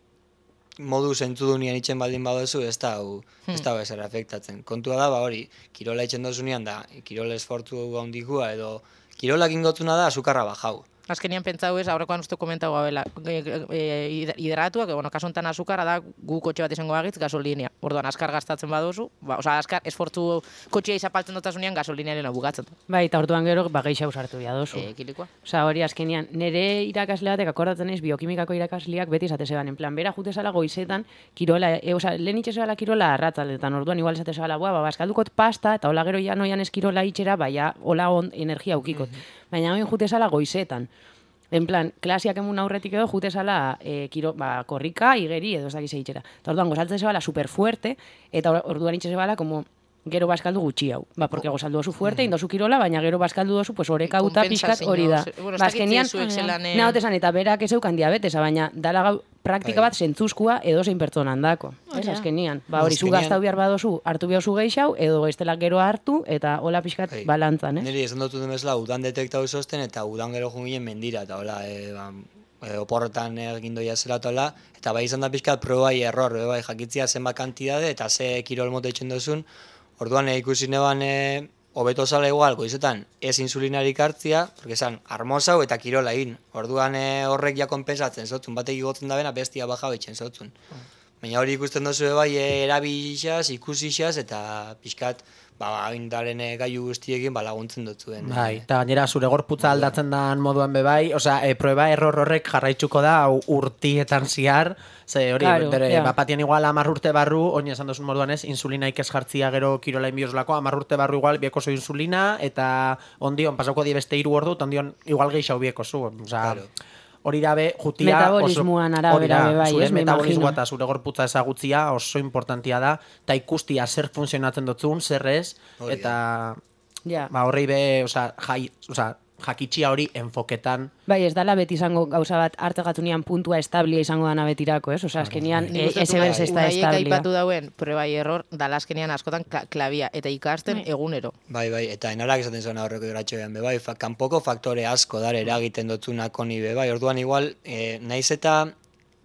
modu zentzudunian itxen baldin badozu, ez da hau, ez da ezer afektatzen. Kontua da, ba hori, kirola itxen dozunean da, kirola esfortzu handikua edo kirolak ingotzuna da azukarra bajau. Azkenian pentsau ez, aurrekoan uste komentau gabela, e, e, hidratuak, e, bueno, kasu honetan azukara da gu kotxe bat izango bagitz gasolinea. Orduan, askar gastatzen badozu, ba, oza, askar esfortzu kotxea izapaltzen dutasunean gasolinearen bukatzen. Bai, eta orduan gero, ba, gehiago sartu dira dozu. E, kilikoa. Osa, hori azkenean, nire irakasle batek akordatzen ez, biokimikako irakasleak beti esate zeban, en plan, bera jute zala goizetan, kirola, e, osa, lehen itxe zala kirola arratzaldetan, orduan igual esate zala, ba, ba, eskaldukot pasta, eta hola gero ja noian eskirola itxera, baina hola on, energia aukikot. Baina hoin jute zala goizetan. En plan, klasiak emun aurretik edo jute zala e, kiro, ba, korrika, igeri edo ez dakize itxera. Eta orduan gozaltzen zebala super fuerte, eta orduan itxe zebala como gero baskaldu gutxi hau. Ba, porque gozaldu dozu fuerte, indozu kirola, baina gero baskaldu dozu, pues oreka uta pixkat hori da. Bueno, ez Ba, dakit azkenean, zuek zelan, eh, nahote esan, eta berak ez eukan diabetesa, baina dala gau praktika Bai. bat zentzuzkua edo zein pertsonan dako. Ez Hori da. azkenian. Ba, hori zu Azkenean- gaztau behar badozu, hartu behar zu geixau, edo estela gero hartu, eta hola pixkat Bai. balantzan, eh? Niri esan dut duten bezala, udan detektau zosten, eta udan gero junginen mendira, eta hola, e, ba, e, oporretan egin doia zela eta hola, eta bai izan da pixkat probai error, be, bai, jakitzia zenbat kantidade, eta ze kirol mota itxen duzun, orduan e, ikusi neban, e, hobeto zala igual, goizetan, ez insulinarik hartzia, porque esan, armosau eta kirola egin. Orduan e, horrek ja konpensatzen zotzun, batek igotzen da bena, bestia baja betxen zotzun. Baina hori ikusten duzu e, bai, e, erabilixaz, ikusixaz, eta pixkat, ba, indaren e, gailu guztiekin ba, laguntzen dutzuen. Bai, eta gainera zure gorputza aldatzen dan moduan be bai, osea, e, prueba error horrek jarraitzuko da hau urtietan ziar, ze hori, Claro, bere, ja. bapatien igual hamar urte barru, oin esan duzun moduan ez, insulinaik ez jartzia gero kirolain biozlako, hamar urte barru igual biekozu insulina, eta ondion pasauko die beste hiru ordu, eta ondion igual gehiago biekozu, osea, Claro. hori da be, jutia Metabolismoan arabera hori da, be bai, zure ez, me metabolismoa imagino. eta zure gorputza ezagutzia oso importantia da, eta ikustia zer funtzionatzen dutzun, zer ez, Hori da. eta Ja. ba, horrei be, osea, jai, osea, jakitxia hori enfoketan. Bai, ez dala beti izango gauza bat hartegatunean puntua establia izango dana betirako, ez? Osea, azkenian Nik e, uste dut ese berz ez da Unaiek establia. aipatu dauen probai error, dala azkenean askotan kla- klabia, eta ikasten egunero. Bai, bai, eta enarak esaten zuen aurreko gratxoean, be bai, fa, kanpoko faktore asko dar eragiten dotzunak honi be bai, orduan igual, e, naiz eta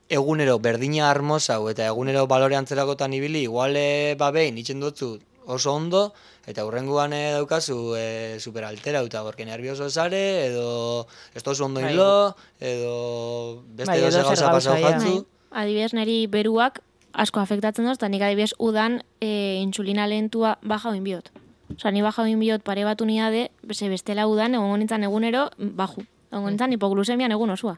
egunero berdina armosau eta egunero balore antzerakotan ibili, igual e, ba behin itxen dutzu oso ondo, eta hurrengoan e, daukazu e, superaltera, eta gorke nervioso zare, edo ez tozu ondo hilo, edo beste Bai, doze edo zer gauza pasau gauza, ja. jatzu. Adibidez, niri beruak asko afektatzen doz, eta nik adibidez udan e, intsulina lehentua baja oin biot. Osa, ni baja oin biot pare batu niade, ze bestela udan, egon nintzen egunero, baju. Egon nintzen hipoglusemian egun osua.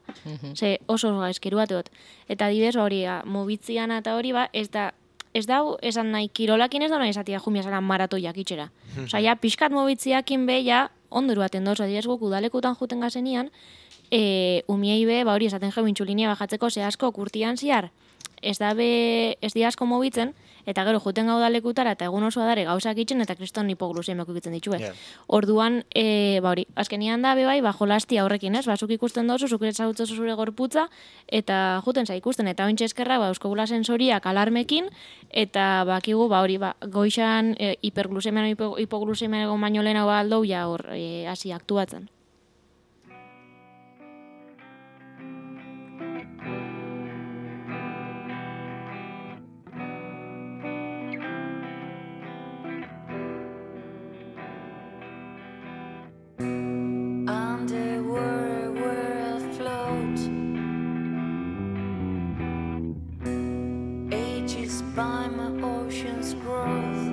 Ze oso gaizkiru bat dut. Eta adibidez, hori, mobitzian eta hori, ba, ez da, ez dau, esan nahi, kirolakin ez da nahi esatia jumia zara maratoiak itxera. Osa, ja, pixkat mobitziakin be, ja, ondo eruaten doz, adibidez guk udalekutan juten gazenian, e, umiei be, ba hori esaten jau intsulinia bajatzeko ze asko kurtian ziar, ez da be, ez di asko mobitzen, eta gero juten gau dalekutara eta egun osoa dare gauzak itxen eta kriston hipoglusemiak ikitzen ditue. Yeah. Orduan, e, ba hori, azkenian da, be bai, ba jolastia horrekin, ez? Bazuk ikusten dozu, zuk ezagutzu zure gorputza, eta juten za ikusten, eta ointxe eskerra, ba, euskogula sensoriak alarmekin, eta bakigu, ba hori, ba, goixan e, hiperglusemian, hipoglusemian egon baino lehenago aldou, ja hor, e, hasi aktuatzen. By my ocean's growth,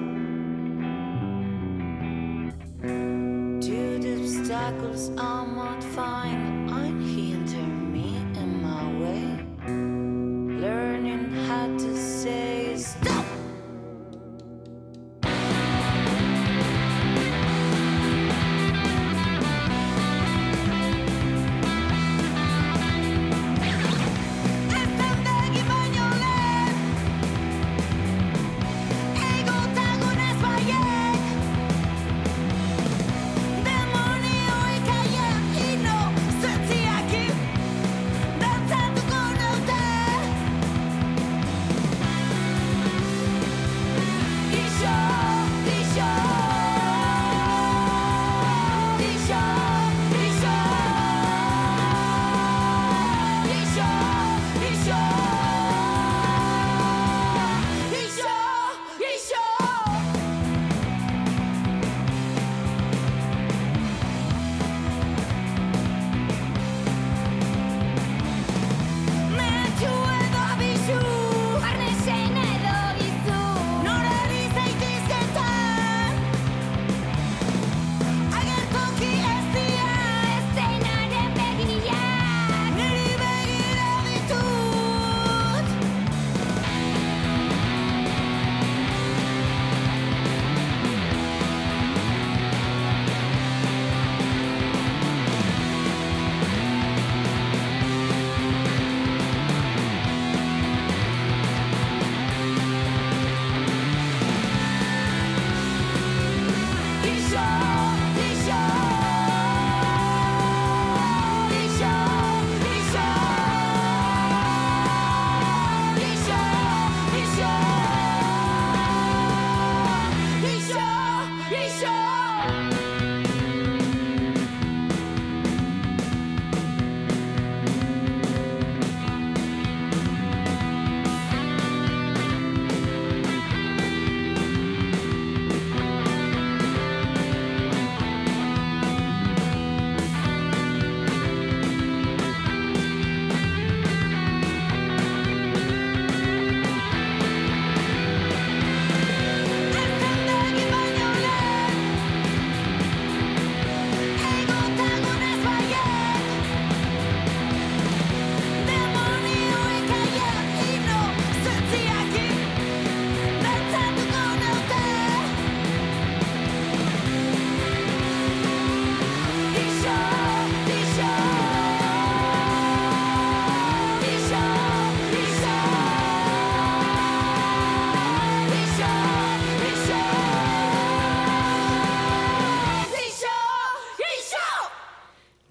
to the obstacles I might find, unhinder me in my way, learning how to say stop.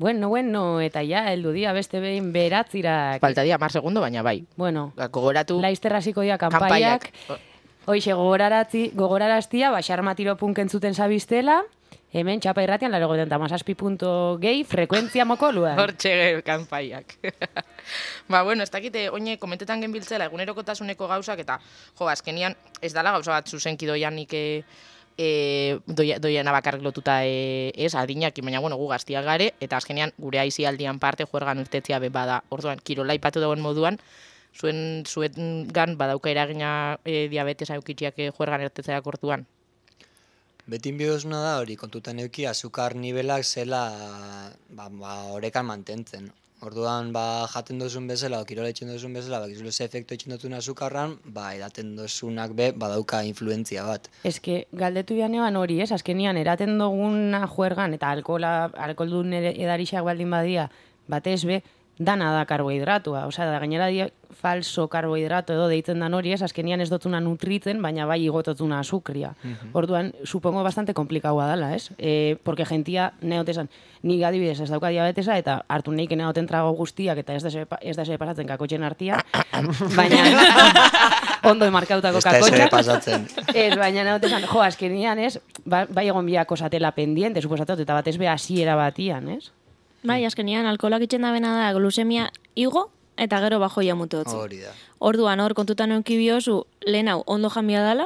Bueno, bueno, eta ja, heldu dia beste behin beratzirak. Faltadia mar segundo, baina bai. Bueno, gogoratu laizter hasiko dira kanpaiak. kanpaiak. Hoixe gogoraratzi, gogoraraztia, ba xarmatiro punk entzuten zabiztela, Hemen txapa irratian, laro goten tamazazpi punto gehi, frekuentzia mokoluan. Hortxe kanpaiak. Ba, bueno, ez dakite, oine, komentetan genbiltzela, egunerokotasuneko gauzak, eta, jo, azkenian, ez dala gauza bat zuzenki doianik e, e, doia, doiana bakarrik lotuta e, ez, adinak, baina, bueno, gu gaztiak gare, eta azkenian, gure aizialdian parte, juergan irtetzia be bada, orduan, kirola ipatu dagoen moduan, zuen, zuen gan badauka eragina e, diabetesa eukitziak e, juergan irtetzeak orduan. Betin bidozuna da hori, kontutan euki, azukar nivelak zela ba, ba, orekan mantentzen. Orduan, ba, jaten dozun bezala, o kirola itxen dozun bezala, ba, gizule ze efektu itxen dutun azukarran, ba, edaten dozunak be, badauka influentzia bat. Ez que, galdetu janean hori, ez? Azkenian, eraten duguna juergan, eta alkola, alkoldun edarixak baldin badia, batez be, dana da karbohidratua. Osea, da gainera die falso karbohidrato edo deitzen dan hori, ez? Azkenian ez dotuna nutritzen, baina bai igototuna azukria. Uh-huh. Orduan, supongo bastante komplikaua dela, ez? E, porque gentia neotesan, ni adibidez ez dauka diabetesa, eta hartu neik neoten trago guztiak, eta ez da ze pasatzen kakotxen artia, baina ondo emarkautako kakotxak. Ez da pasatzen. Ez, baina neotesan, jo, azkenian, ez? Ba, bai egon biako zatela pendiente, suposatot, eta batez be hasiera batian, ez? Bai, azkenian, alkoholak itxen da bena da glusemia igo eta gero bajoia mutu hotzi. Hori da. Orduan, hor, kontutan eunki biozu, lehen hau, ondo jambia dala,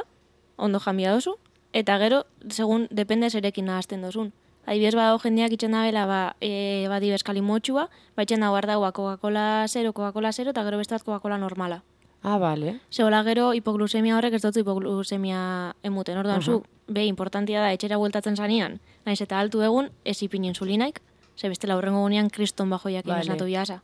ondo jambia dozu, eta gero, segun, depende zerekin nahazten dozun. Adibidez badago jendeak itxen da bela, ba, e, badi bezkali motxua, ba, itxen da guardaua Coca-Cola zero, Coca-Cola zero, eta gero beste bat Coca-Cola normala. Ah, bale. Zegoela gero, hipoglusemia horrek ez dutzu hipoglusemia emuten. Orduan, uh-huh. zu, be, importantia da, etxera bueltatzen zanean, naiz eta altu egun, ez ipin insulinaik, ze bestela hurrengo gunean kriston bajoiak vale. Inesnatu biasa.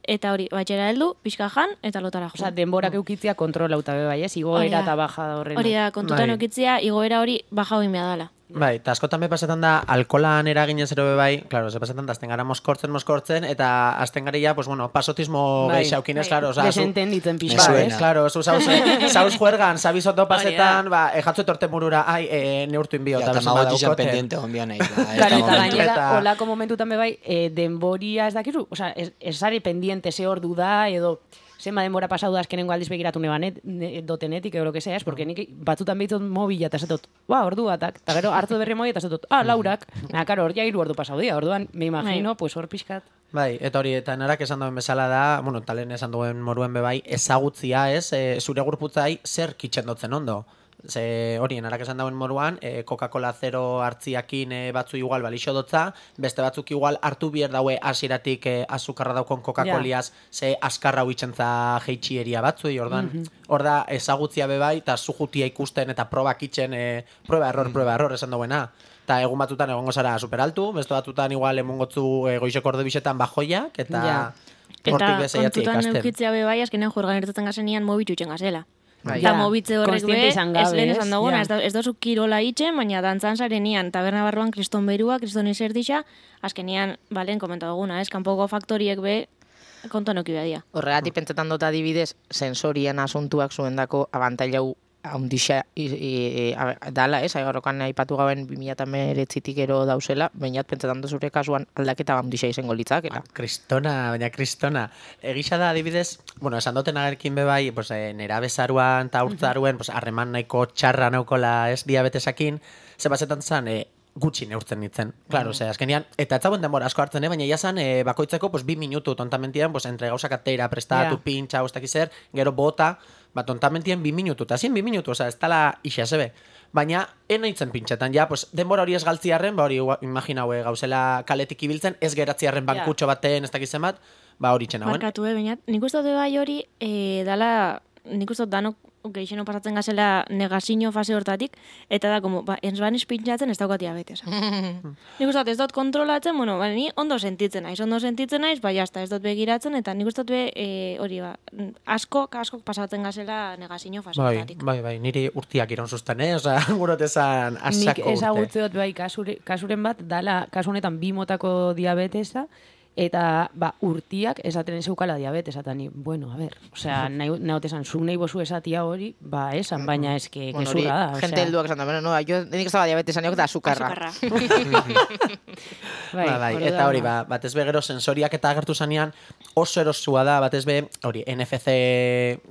Eta hori, batxera heldu, pixka jan, eta lotara jo. Osa, denborak eukitzia kontrolauta be bai, ez? Igoera eta baja horrena. Hori da, kontutan bai. Eukitzia, igoera hori baja hori mea dala. Bai, eta askotan be pasetan da, alkolan eraginez ero be bai, claro, ze pasetan da, azten gara moskortzen, moskortzen, eta azten gara ya, pues bueno, pasotismo bai, geixaukinez, bai. Claro, oza, desentenditzen pixka, bai, ez? Claro, zu zauz, zauz juergan, sabizoto pasetan, ba, ejatzu etorte murura, ai, e, neurtu inbio, eta bezan badaukote. Ja, pendiente onbian nahi. Claro, eta gainera, olako momentutan be bai, e, denboria ez dakizu, oza, ez, ez ari pendiente ze ordu da, edo... Zenba denbora pasau da azkenengo aldiz begiratu nebanet, ne, dotenetik, edo lo que sea, es, porque nik batzutan behitzot mobila, eta zetot, ba, ordu batak, eta gero hartu berri mobila, eta zetot, ah, laurak, na, karo, hor ja hiru ordu pasau dia, orduan, me imagino, pues hor pixkat. Bai, eta hori, eta narak esan duen bezala da, bueno, talen esan duen moruen bebai, ezagutzia, ez, e, zure gurputzai zer kitxendotzen ondo. Ze hori, narak esan dauen moruan, e, Coca-Cola zero hartziakin e, batzu igual balixo dotza, beste batzuk igual hartu bier daue hasieratik e, azukarra daukon Coca-Coliaz, yeah. Ze askarra huitzentza jeitxieria batzu, ordan, mm-hmm. Hor da ezagutzia bebai, eta zujutia ikusten eta probak itxen, e, proba error, mm. proba error esan dauena. Eta egun batutan egongo zara superaltu, beste batutan igual emongotzu e, goizeko ordu bisetan bajoiak, eta yeah. hortik bezaiatzi ikasten. Eta kontutan eukitzea bebai, azkenean juergan irtetzen gazenian mobitu itxen gazela. Bai. Eta mobitze horrek be, ez lehen esan duguna, ja. ez dozu kirola itxen, baina dantzan zarenian, taberna barruan kriston berua, kriston izerdixa, azkenian, balen, komenta duguna, ez, kanpoko faktoriek be, kontuan oki behadia. Horregatik pentsetan dut adibidez, sensorien asuntuak zuendako abantailau haundixa dala, ez, aigarrokan aipatu gauen bi mila hemeretzitik ero dauzela, bainat pentsetan dut zure kasuan aldaketa haundixa izango litzakela. Ah, kristona, baina kristona. Egisa da adibidez, bueno, esan duten agerkin bebai, pues, eh, nera bezaruan eta urtzaruen, pues, harreman nahiko txarra naukola ez diabetesakin, ze bazetan zan, eh, gutxi neurtzen nintzen. Claro, mm. azkenian, eta ez zauen denbora asko hartzen, eh? Baina jasan, eh, bakoitzeko pues, bi minutu tontamentian, pues, entre gauzak atera, prestatu, yeah. pintxa, ustak izer, gero bota, ba, tontamentien bi minutu, eta zien bi minutu, oza, ez tala ixasebe. Baina, eno itzen pintxetan, ja, pues, denbora hori ez galtziarren, ba, hori, imaginaue, gauzela kaletik ibiltzen, ez geratziarren bankutxo yeah. baten, ez dakizen bat, ba, hori txen hauen. Markatu, eh, baina, nik uste dut bai hori, eh, dala, nik uste dut danok, geixeno pasatzen gazela negazio fase hortatik, eta da, como, ba, enzbaniz pintxatzen ez daukat diabetesa. Nik uste dut ez dut kontrolatzen, bueno, ba, ni ondo sentitzen naiz, ondo sentitzen naiz, ba, jazta, ez dut begiratzen, eta nik uste dut be, e, hori, ba, asko, asko pasatzen gazela negazio fase bai, hortatik. Bai, bai, niri urtiak iron zuzten, eh? Osa, gurotezan asako urte. Nik ezagutze dut bai, kasure, kasuren bat, dala, kasu honetan bi motako diabetesa, Eta, ba, urtiak esaten zeukala diabetes, eta ni, bueno, a ver, osea, nahi esan, zu nahi bozu esatia hori, ba, esan, baina eske, Bueno, gezurra da. gente helduak esan da, bueno, no, yo nik ez daba diabetesan da azukarra. Bai, ba, bai, eta hori, ba, batez be gero sensoriak eta agertu zanean oso erosua da, batez be, hori, N F C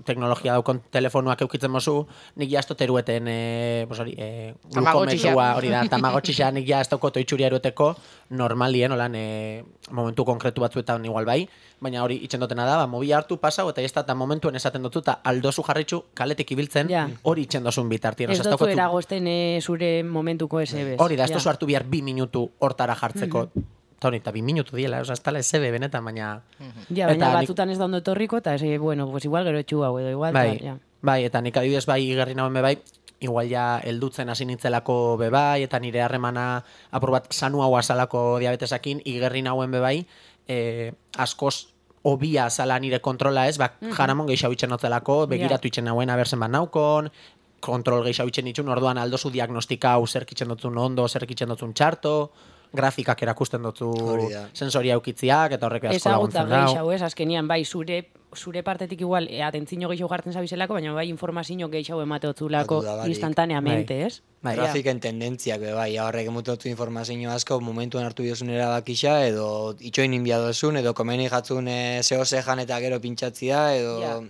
teknologia daukon telefonoak eukitzen mozu, nik ja ez dut erueten, e, pues hori, e, glukometrua, hori da, tamagotxixa, nik ja ez dauko toitxuria eruteko, normalien, holan, e, momentu konkretu batzuetan igual bai, baina hori itxen dutena da, ba, mobila hartu pasau, eta ez da momentuen esaten dutu, eta aldozu jarritxu kaletik ibiltzen, Ja. hori itxen dozun bitartien. Ez Osea, ez dutu daukazu- eragozten e, zure momentuko S B. Hori da, ez duzu hartu bihar bi minutu hortara jartzeko. Eta hori, eta bi minutu diela, oza, ez tala S B benetan, baina... Ja, baina Eta nik- batzutan ez da ondo etorriko, eta ez, bueno, pues igual gero etxu hau edo igual, Bai, ta, ja. bai, eta nik adibidez bai igerri nauen be bai, igual ja heldutzen hasi nintzelako be bai, eta nire harremana apur bat sanu hau azalako diabetesakin, igerri nauen be bai, eh, askoz obia zala nire kontrola ez, ba, jaramon gehiago itxen notzelako, begiratu itxen nauen abertzen bat naukon, kontrol gehiago itxen itxun, orduan aldozu diagnostikau zerk itxen dutzun ondo, zerk itxen dutzun txarto, grafikak erakusten dutzu Hori da. sensoria ukitziak, eta horrek asko Ezaguta laguntzen dau. gehiago, ez, azkenian, bai, zure zure partetik igual, e, atentzino gehiago jartzen zabizelako, baina bai informazio gehiago emateotzulako Batu da, barik. instantaneamente, ez? Bai, Grafiken tendentziak, be, bai, horrek emutotzu informazio asko, momentuan hartu diozun erabakixa, edo itxoin inbia dozun, edo komeni jatzun e, zeo zejan eta gero pintxatzia, edo... Ja.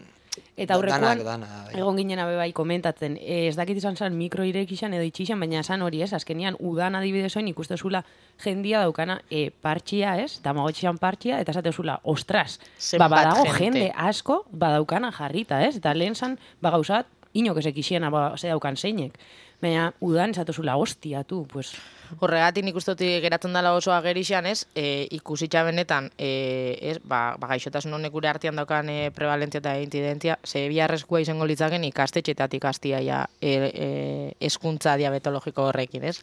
Eta Da- aurrekoan, danak, dana, bai. egon ginen abe bai komentatzen, e, ez dakit izan zan mikro irekixan edo itxixan, baina esan hori ez, azkenian udan adibidezoin ikustezula jendia daukana e, partxia ez, tamagotxixan partxia, eta esatezula, ostras, ba, Zenbat badago jente. jende asko badaukana jarrita ez, eta lehen zan, ba gauzat, inok ezek ixiena ba, ze daukan zeinek. Baina udan esatezula, hostia, tu, pues... Horregatik nik uste dut geratzen dela oso agerixan, ez, e, ikusitza benetan, e, ez, ba, ba gaixotasun honek gure artean daukan e, prevalentzia eta incidentzia, ze biharrezkoa izango litzaken ikastetxetatik hastia ja e, e, eskuntza diabetologiko horrekin, ez?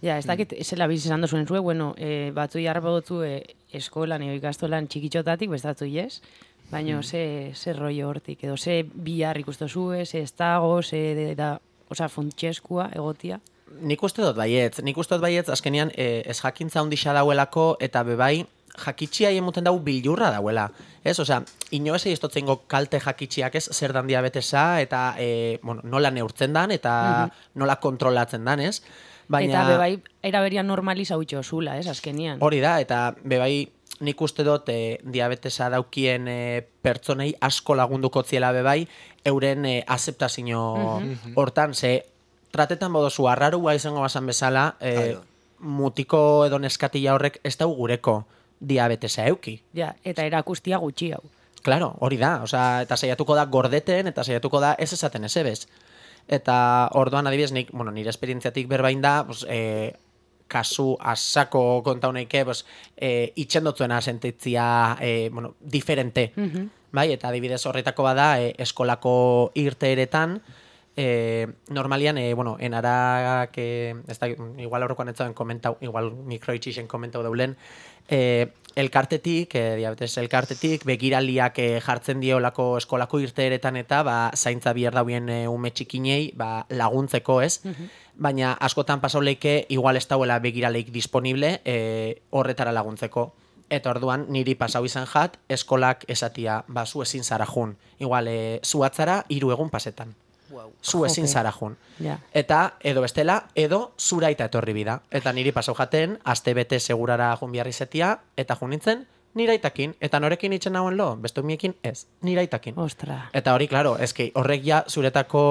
Ja, ez dakit, zela biz esan dozuen zue, bueno, e, batzu jarrapa dutzu e, eskolan edo ikastolan txikitxotatik, bestatzu yes, baina ze, ze rollo hortik, edo ze bihar ikustu zue, ze ez dago, ze de, da, oza, funtseskua egotia. Nik uste dut baietz, nik uste dut baietz, azkenean eh, ez jakintza ondixa dauelako, eta bebai, jakitxia emuten dau bilurra dauela. Ez, osea, ino ez egiztotzengo kalte jakitxiak ez, zer dan diabetesa, eta e, bueno, nola neurtzen dan, eta nola kontrolatzen dan, ez? Baina, Eta bebai, eraberian normaliza utxo zula, ez, azkenian. hori da, eta bebai, nik uste dut e, diabetesa daukien e, pertsonei asko lagunduko ziela bebai, euren e, azeptazio hortan, ze tratetan bodozu arrarua izango basan bezala, e, Claro. mutiko edo neskatila horrek ez dau gureko diabetesa euki. Ja, eta erakustia gutxi hau. Claro, hori da, osea, eta saiatuko da gordeten, eta saiatuko da ez esaten esebez. Eta orduan adibidez, nik, bueno, nire esperientziatik berbain da, pues, e, kasu asako kontauneike, pues, e, itxendotzuena sentitzia, e, bueno, diferente. Bai, eta adibidez horretako bada, e, eskolako irteeretan, e, normalian, e, bueno, enarak, e, ez da, igual aurrekoan ez zaben komentau, igual mikroitxixen komentau daulen, e, elkartetik, e, diabetes elkartetik, begiraliak e, jartzen diolako eskolako irteeretan eta ba, zaintza bihar dauen e, ume txikinei ba, laguntzeko, ez? Baina askotan pasauleike igual ez dauela begiraleik disponible e, horretara laguntzeko. Eta orduan niri pasau izan jat, eskolak esatia, ba, zu ezin zara jun. Igual, e, zu atzara, hiru egun pasetan. Zu ezin Jope. zara jun. Ja. Eta, edo bestela, edo zuraita etorri bida. Eta niri pasau jaten, aste bete segurara jun biharri zetia, eta jun nintzen, niraitakin. Eta norekin itxen nauen lo, bestu miekin ez, niraitakin. Ostra. Eta hori, claro, eski horrek ja zuretako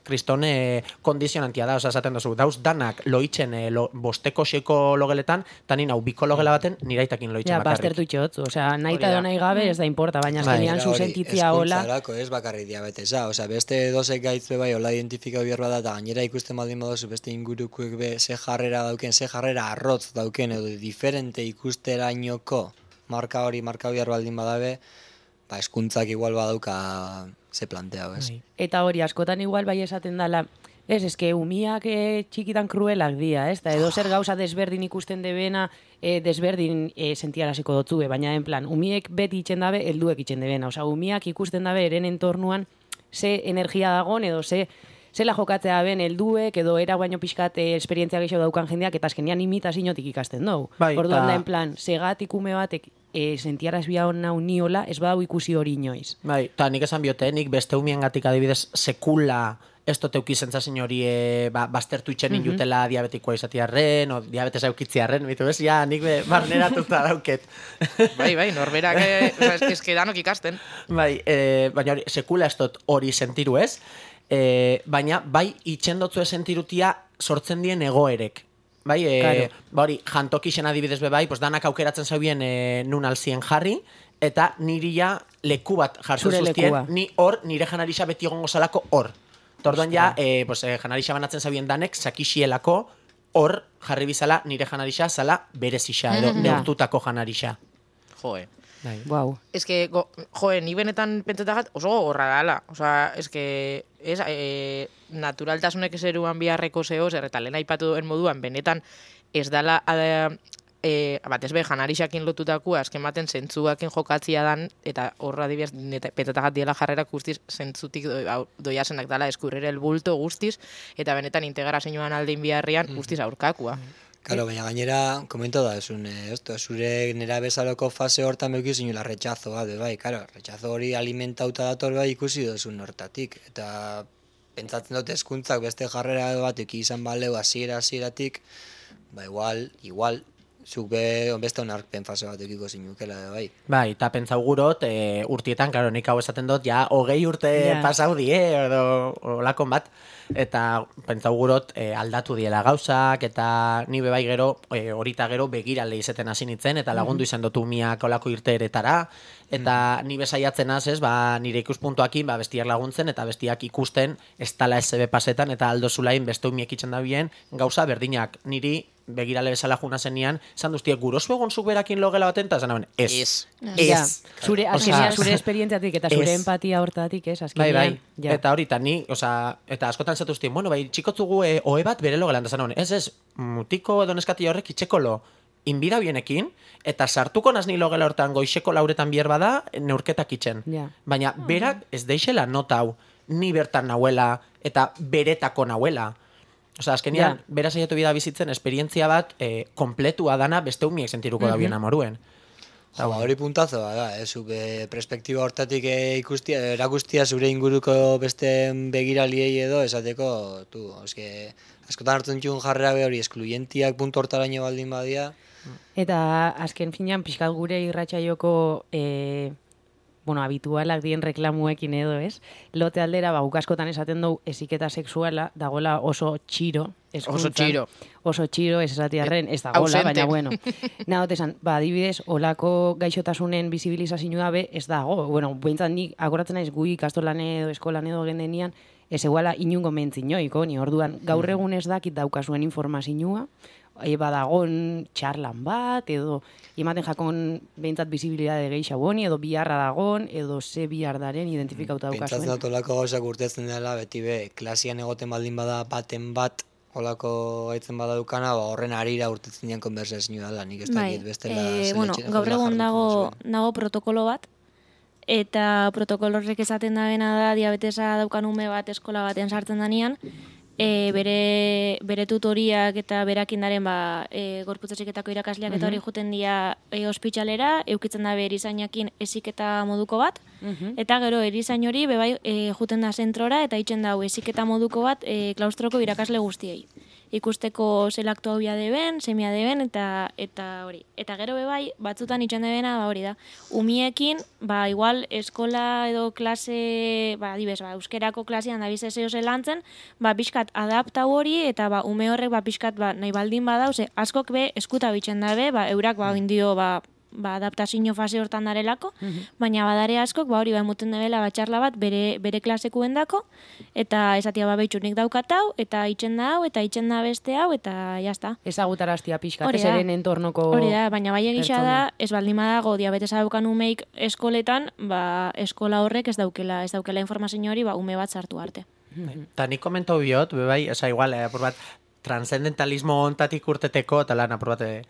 kriston eh, kondizionantia da, oza, esaten duzu, dauz danak loitzen eh, lo, bosteko xeko logeletan, eta ni nau biko logela baten niraitakin loitzen Ja, bakarrik. baztertu txotzu, osea, nahi Hori eta da. edo nahi gabe ez da importa, baina Bai. azkenean Era hori, zuzentitzia hola. hezkuntzarako, ez bakarrik diabetesa, osea, beste dozek gaitz be bai hola identifikau behar bada, eta gainera ikusten baldin badozu beste ingurukuek be ze jarrera dauken, ze jarrera arrotz dauken, edo diferente ikusterainoko marka hori, marka behar baldin badabe, ba, eskuntzak igual badauka ze planteau, ez? Bai. Eta hori, askotan igual bai esaten dala, ez, eske umiak e, txikitan kruelak dira, ez? Da, edo zer gauza desberdin ikusten debena, e, desberdin e, sentiaraziko dotzue, baina en plan, umiek beti itxen dabe, helduek itxen debena. Osea, umiak ikusten dabe eren entornuan ze energia dagon, edo ze zela jokatzea ben helduek edo era baino pixkat eh, esperientzia gehiago daukan jendeak eta azkenean imitaziotik ikasten dugu. Bai, Orduan ta- da en plan, segatik ume batek e, sentiaraz bia hona uniola, ez badau ikusi hori inoiz. Bai, eta nik esan biote, nik beste umiengatik adibidez sekula ez dut euki sentsazio hori e, ba, baztertu itxen Mhm. jutela diabetikoa izatiarren, o diabetesa eukitziarren, bitu bez, ja, nik be, barneratuta dauket. Bai, bai, norberak, eh, o sea, es, es que danok ikasten. Bai, e, baina hori, sekula ez dut hori sentiru ez, e, baina bai itxendotzu sentirutia sortzen dien egoerek. Bai, e, Claro. ba hori, jantokixen adibidez be bai, pues danak aukeratzen zaubien e, nun alzien jarri, eta niri ja leku bat jartzen Zure zuztien, lekua. ni hor, nire janarixa beti egongo zalako hor. Torduan ja, e, pues, e, janarixa banatzen zabien danek, sakixielako hor jarri bizala nire janarixa zala berezixa, edo Ja. neurtutako janarixa. Joe. Bai. Wow. Es que, go, joe, ni benetan pentsetagat oso gogorra dala. O sea, es que, es, eh, naturaltasunek eseruan biharreko zehoz, erreta lehen aipatu duen moduan, benetan ez dala, eh, eh, bat ez be, janarixakin lotutakua, azken baten zentzuakin jokatzia dan, eta horra dibaz, petatagat diela jarrera guztiz, zentzutik do, au- doiasenak dala eskurrere el bulto guztiz, eta benetan integrazioan aldein biharrian guztiz aurkakua. Claro, baina gainera, komento da, esun, eh, esto, zure nera bezaloko fase hortan beuki zinula rechazo bat, bai, claro, rechazo hori alimentauta dator bai ikusi dozun hortatik, eta pentsatzen dut hezkuntzak beste jarrera bat eki izan baleu hasiera hasieratik, ba igual, igual, zuk be, beste onarpen fase bat ekiko zinukela, bai. Bai, eta pentsau gurot, e, urtietan, karo, nik hau esaten dut, ja, hogei urte Ja. pasau die, edo olakon bat, eta pentsau gurot e, aldatu diela gauzak, eta ni bebai gero, e, horita gero begirale izeten hasi nintzen, eta lagundu izan dut umiak olako irteeretara, eta ni besaiatzen az, ez, ba, nire ikuspuntuakin, ba, bestiak laguntzen, eta bestiak ikusten, ez tala S B pasetan, eta aldo zulain beste umiek itxen da bien, gauza berdinak, niri begirale bezala juna zenian, esan duztiek, gurozu egon zuk berakin logela baten, eta esan naben, ez. Ez. Ez. Ja, zure, Osea, azkenean, zure esperientziatik eta zure ez. empatia hortatik, ez, Bai, azkenean. bai, ja. eta hori, eta ni, osea, eta askotan zatu zutien, bueno, bai, txikotzugu e, oe bat bere logelan, da zan honen, ez, ez, mutiko edo neskati horrek itxekolo, inbida bienekin, eta sartuko naz ni logela hortan goixeko lauretan bier bada, neurketak itxen. Ja. Baina, berak ez deixela nota hau, ni bertan nahuela, eta beretako nahuela. Osea, azkenian, Ja. bera saiatu bida bizitzen esperientzia bat eh, kompletua dana beste umiek sentiruko da bien amoruen. Jo, ba, hori puntazo da, eh, zu be, perspektiba hortatik eh, ikustia, erakustia zure inguruko beste begiraliei edo, esateko, tu, eske, askotan hartzen ditun jarrera be hori, eskluientiak puntu hortaraino baldin badia, Eta azken finean pixkat gure irratsaioko e, bueno, habitualak dien reklamuekin edo, ez? Lote aldera, ba, guk askotan esaten dugu heziketa sexuala dagoela oso txiro. hezkuntzan. Oso txiro. Oso txiro, ez esatiarren, ez dagoela, Ausente. baina bueno. Nagot esan, ba, adibidez, olako gaixotasunen bizibilizazioa be ez dago. Bueno, behintzat nik akoratzen naiz gu ikastolan edo eskolan edo gendenian, ez eguala inungo mentzinoiko, ni orduan gaur egun ez dakit daukazuen informazioa, e, badagon txarlan bat, edo ematen jakon behintzat bizibilidade gehiago honi, edo biharra dagon, edo ze bihar daren identifikauta pentsatzen daukazuen. dut olako gauzak urtetzen dela, beti be, klasian egoten baldin bada baten bat, olako gaitzen bada dukana, ba, horren arira urtetzen dian konversazioa dela, nik ez Bai, dakit bestela eh, zeletxe- bueno, gaur jola egun jarriko dago, zuen. dago protokolo bat, eta protokolo horrek esaten da bena da diabetesa daukan ume bat eskola baten sartzen danean, e, bere, bere tutoriak eta berakindaren ba, e, gorputz heziketako irakasleak eta hori juten dira e, ospitsalera, eukitzen da erizainakin heziketa moduko bat, eta gero erizain hori bebai e, juten da zentrora eta itzen dau heziketa moduko bat e, klaustroko irakasle guztiei. Ikusteko zelaktu hau deben, semia deben, eta eta hori. Eta gero bebai, batzutan itxan debena, ba hori da, umiekin, ba igual eskola edo klase, ba adibes, ba euskerako klasean da bizeseo zelantzen, ba pixkat adaptau hori, eta ba ume horrek ba pixkat ba nahi baldin badau, ze askok be eskuta bitzen dabe, ba eurak ba indio ba ba adaptazio fase hortan darelako, baina badare askok ba hori ba emuten debela ba txarla bat bere bere klasekuendako eta esatia ba beitxu nik daukatau eta itzen da hau eta itzen da beste hau eta ja sta. Ezagutaraztia pixkat, Hori ez da. eren entornoko Hori da, baina bai egisa da, pertsona. ez baldin badago diabetesa daukan umeik eskoletan, ba eskola horrek ez daukela, ez daukela informazio hori ba ume bat sartu arte. Eta nik komentau biot, bebai, esa igual, eh, apur bat, transcendentalismo ontatik urteteko, eta lan apur bat, eh,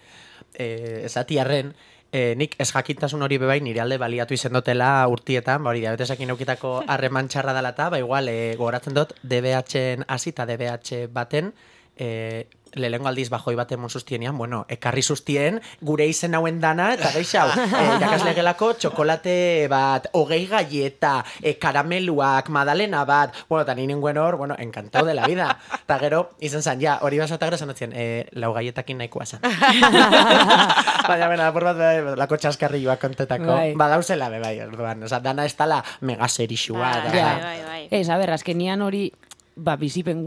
eh, esatiarren, E, nik ez jakintasun hori bebai nire alde baliatu izen dutela urtietan, ba hori diabetesakin eukitako harreman txarra dela eta, ba igual, e, gogoratzen dut D B H-en hasi eta D B H baten, e, lehengo aldiz bajoi baten mon sustienean, bueno, ekarri sustien gure izen hauen dana, eta geixau, e, irakasle gelako txokolate bat, hogei galleta, e, karameluak, madalena bat, bueno, eta nire ninguen hor, bueno, encantado de la vida. Eta gero, izen zan, ja, hori basa eta gero zanotzen, e, lau galletakin nahikoa zan. Baina, bena, apur bat, lako txaskarrilloak kontetako, Bai. badauzela be bai, orduan, oza, dana ez tala megaserixua. Bai, da. bai, bai, bai. Ez, a ber, azkenian hori ba, bizipen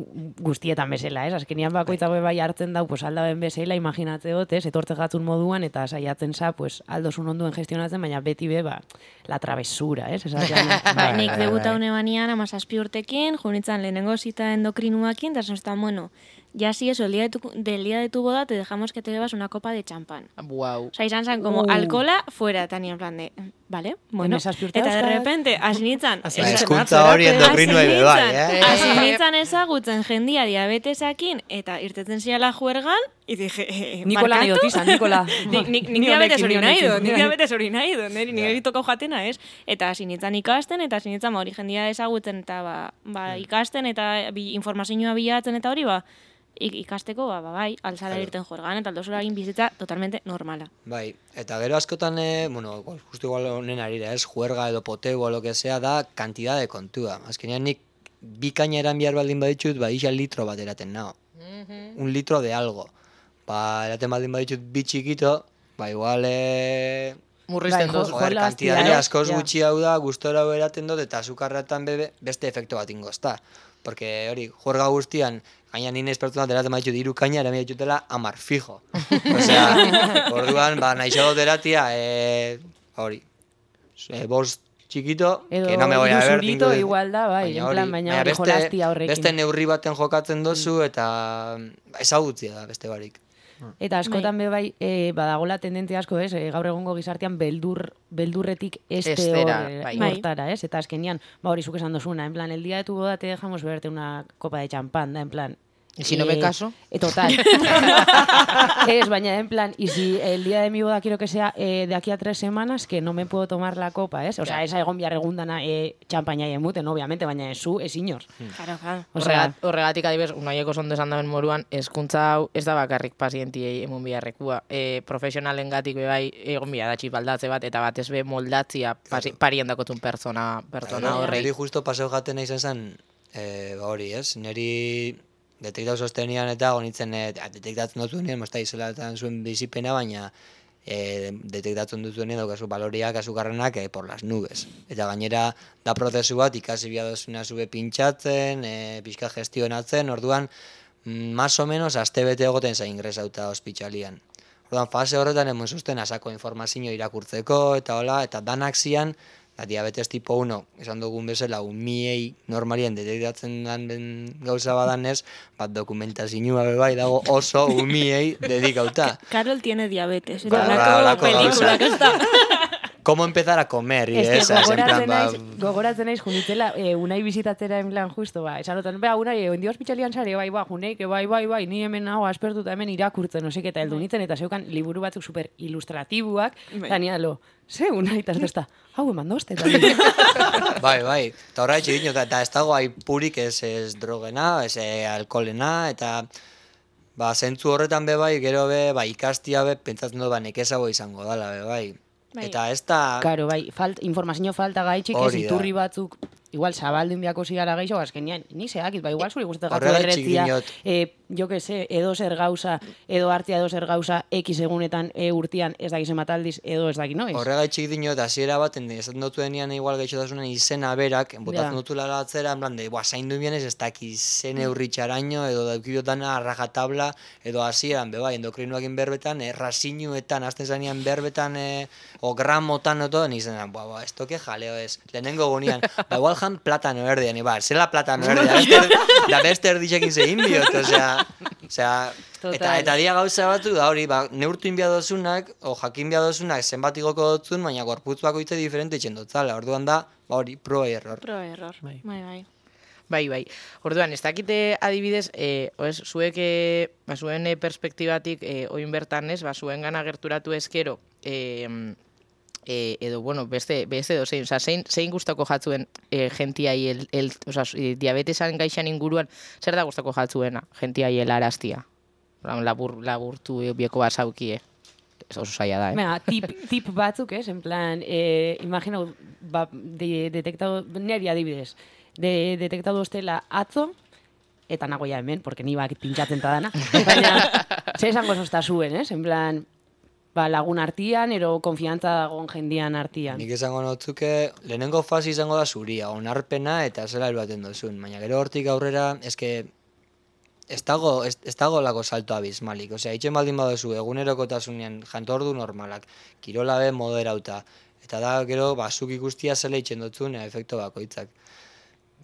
guztietan bezala, ez? Azkenian bakoitza bai hartzen dau, pues, aldaben bezala, imaginatze dut, ez? Etortze gatzun moduan, eta saiatzen za, pues, aldozun onduen gestionatzen, baina beti be, ba, la travesura, ez? Esaten, Ba, nik debuta une banian amazazpi urtekin, junitzen lehenengo zita endokrinuakin, eta zan, bueno, ya si eso, el día de tu, del día de tu boda te dejamos que te bebas una copa de champán. Wow. O sea, izan zan, como Uh. alcohola fuera, Tania, en plan de, vale, bueno, Hemezazpi urte eta de dauzkat. repente, hasi Hasi Ba, Esa- hezkuntza hori endokrinua ere bai, eh? Hasi nintzen ezagutzen jendia diabetesakin, eta irtetzen ziala juergan, y dije, eh, Nikola nahi barkatu? dut izan, Nikola. Nik, nik, Ni nik diabetes honekin, hori ni nahi dut, honekin. nik diabetes hori nahi dut, niri niri tokau jatena, ez? Eta hasi nintzen ikasten, eta hasi nintzen ba, hori jendia ezagutzen, eta ba, ba, ikasten, eta bi, informazioa bilatzen, eta hori, ba, ik- ikasteko, ba, ba, bai, alzara irten juergan, eta aldozora egin bizitza totalmente normala. Bai, eta gero askotan, eh, bueno, igual, justo igual honen arira, ez, juerga edo poteu o lo que sea, da kantidad de kontua. Azkenean nik bi kaina eran behar baldin baditut, ba, isa litro bat eraten nao. Un litro de algo. Ba, eraten baldin baditut bi txikito, ba, igual, eh, Murrizten Bai, dozu. jo- joder, jola kantidade hastia, eh? askoz Ja. gutxi hau da, gustora hau eraten dut, eta azukarratan bebe, beste efektu bat ingozta. Porque hori, juerga guztian, gaina nien espertunak eraten baditut hiru kaina, erami ditutela amar fijo. Osea, orduan, ba, naixo dut eratia, eh, hori, e, bost txikito, Edo que no me voy a hiru ver. zurito tinko- igual da, bai, en plan, baina hori beste, jolastia horrekin. beste neurri baten jokatzen dozu, eta ezagutzia da beste barik. Eta askotan be bai, e, badagola tendentzia asko, ez? E, gaur egungo gizartean beldur, beldurretik este Estera, hor, bai. bai. hortara, ez? Eta azkenian, ba hori zuk esan dozuna, en plan, el día de tu boda te dejamos beberte una copa de champán, da, en plan... Y si no me caso? Eh, total. Es, baina, en plan, y si el día de mi boda quiero que sea eh, de aquí a tres semanas, que no me puedo tomar la copa, ¿es? O sea, esa egon bihar egundana eh, champaña emuten, obviamente, baina ez zu, ez inor. Claro, claro. O sea, Horregat, horregatik adibes, unaieko zondo esan daben moruan, hezkuntza hau ez da bakarrik pazientiei emun biharrekua. E, profesionalen gatik bebai egon bihar da txipaldatze bat, eta batez be moldatzia pasi, parien dakotun pertsona, pertsona horrei. Neri justo paseo jaten nahi zen, eh, ba hori, ez? Neri detektau sostenian eta gonitzen, eh, detektatzen dutuenean, mozta izela zuen bizipena, baina eh, detektatzen dutuenean daukazu baloriak, azukarrenak eh, por las nubes. Eta gainera da prozesu bat ikasi biadozuna zube pintxatzen, eh, pixka gestionatzen, orduan, mm, más o menos, aste bete egoten zain ingresauta ospitalian. Orduan, fase horretan emon zuzten asako informazio irakurtzeko, eta hola, eta danak zian, da, diabetes tipo uno, esan dugun bezala, umiei normalien detektatzen den den gauza badanez, bat dokumentazioa bai dago oso umiei dedikauta. Carol tiene diabetes. Ba, Eta ba, holako holako pelikula, gauzak. ez da. Cómo empezar a comer, y Ez que esa, es en gogoratzen plan, ba, naiz, gogoratzen naiz junitzela, eh, unai bizitatzera en plan justo, ba, esan otan, bea, unai, eh, ondi ospitalian sare, bai, ba, juneik, bai, bai, bai, ni hemen hau aspertuta hemen irakurtzen, osek, eta heldu nintzen, eta zeukan liburu batzuk super ilustratibuak, Bai. eta nialo, ze, unai, eta ez da, hau eman dozte, eta bai, bai, eta horra etxe dino, eta ez dago aipurik ez, ez drogena, ez eh, alkoholena, eta ba, zentzu horretan be bai, gero be, ba, ikastia be, pentsatzen dut, ba, nekezago izango dala, be bai. Bai. Eta ez da... Karo, bai, falt, informazio falta gaitxik, ez Hori da. iturri batzuk, igual zabaldun biako zigara gaixo, azkenean, ni zeakit, ba, igual zuri guztetak Horregatik erretzia, diot. eh, jo que se, edo zer gauza, edo hartia edo zer gauza, X egunetan, e, urtian, ez dakiz emataldiz, edo ez daki, no? Ez? Horregaitxik dino, eta hasiera baten, esaten dutu denian igual gaixotasunen izena berak, botatzen Ja. dutula atzera, en plan de, boa, zaindu bienez, ez daki zen eurritxaraino, edo daukidotana rajatabla, edo hasieran, be bai, endokrinoakin berbetan, eh, rasinuetan, azten zanean berbetan, eh, o gramotan, oto, nizenan, boa, boa, esto que jaleo ez, lehenengo gunean, ba, igual jan platano erdean, ba, zela platano erdean, beste, da beste erdixekin zein biot, osea, osea, Total. eta, eta dia gauza batu da hori, ba, neurtu inbia dozunak, o jakin bia dozunak zenbat igoko dotzun, baina gorputz bakoitze diferente itxen dotzala, orduan da, ba hori, pro error. Pro error. Bai. Bai, bai. Bai, bai. Orduan, ez dakite adibidez, eh, oez, zuek, eh, ba, zuen eh, perspektibatik, eh, oin bertan ez, ba, zuen gana gerturatu ezkero, eh, eh, edo, bueno, beste, beste edo zein, oza, zein, zein gustako jatzuen eh, gentiai, el, el, oza, diabetesan gaixan inguruan, zer da gustako jatzuena, gentiai helaraztia? Labur, laburtu bieko basaukie. Ez oso zaila da, eh? Venga, tip, tip batzuk, ez? En plan, eh, imagino, ba, de, detektado, neri adibidez, de, detektado ostela atzo, eta nago ja hemen, porque ni bak pintxatzen ta dana, baina, ze esango zosta zuen, ez? En plan, ba, lagun artian, ero konfiantza dagoen jendian artian. Nik esango notzuke, lehenengo fase izango da zuria, onarpena eta zela eruaten dozun, baina gero hortik aurrera, eske, ez dago, ez, ez dago lako salto abismalik, osea, itxen baldin badozu egunerokotasunean jantordu normalak, kirola be moderauta, eta da gero, ba, zuk ikustia zela itxen dotzun efekto bakoitzak.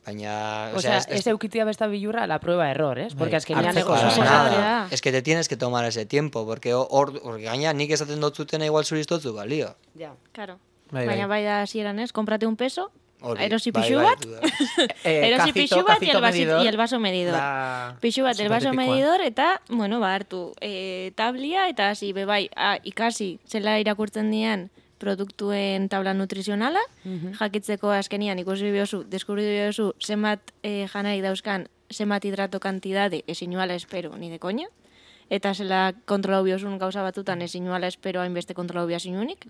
Baina, o sea, es, ez eukitia besta bilurra la prueba error, ¿es? Porque es que ni hartzeko anego da. nada, es que te tienes que tomar ese tiempo, porque hor, hor gaina nik esaten dotzutena igual zuristotzu balio. Ja. Claro. Bai, bai. Baina bai da hasieran ez, comprate un peso, Hori, erosi bai, pixu bai, bat, duda. Eh, erosi cacito, pixu bat y cacito el, vasito, medidor. y el vaso medidor. Da... Pixu bat, el vaso supertipikoa. medidor, eta, bueno, ba, hartu e, tablia, eta hasi, bebai, a, ikasi, zela irakurtzen dian produktuen tabla nutrizionala, jakitzeko azkenian ikusi biozu, deskubri biozu, zenbat e, janaik dauzkan, zenbat hidrato kantidade, esinuala espero, ni de koña, eta zela kontrolau biozun gauza batutan, esinuala espero hainbeste kontrolau biazinunik,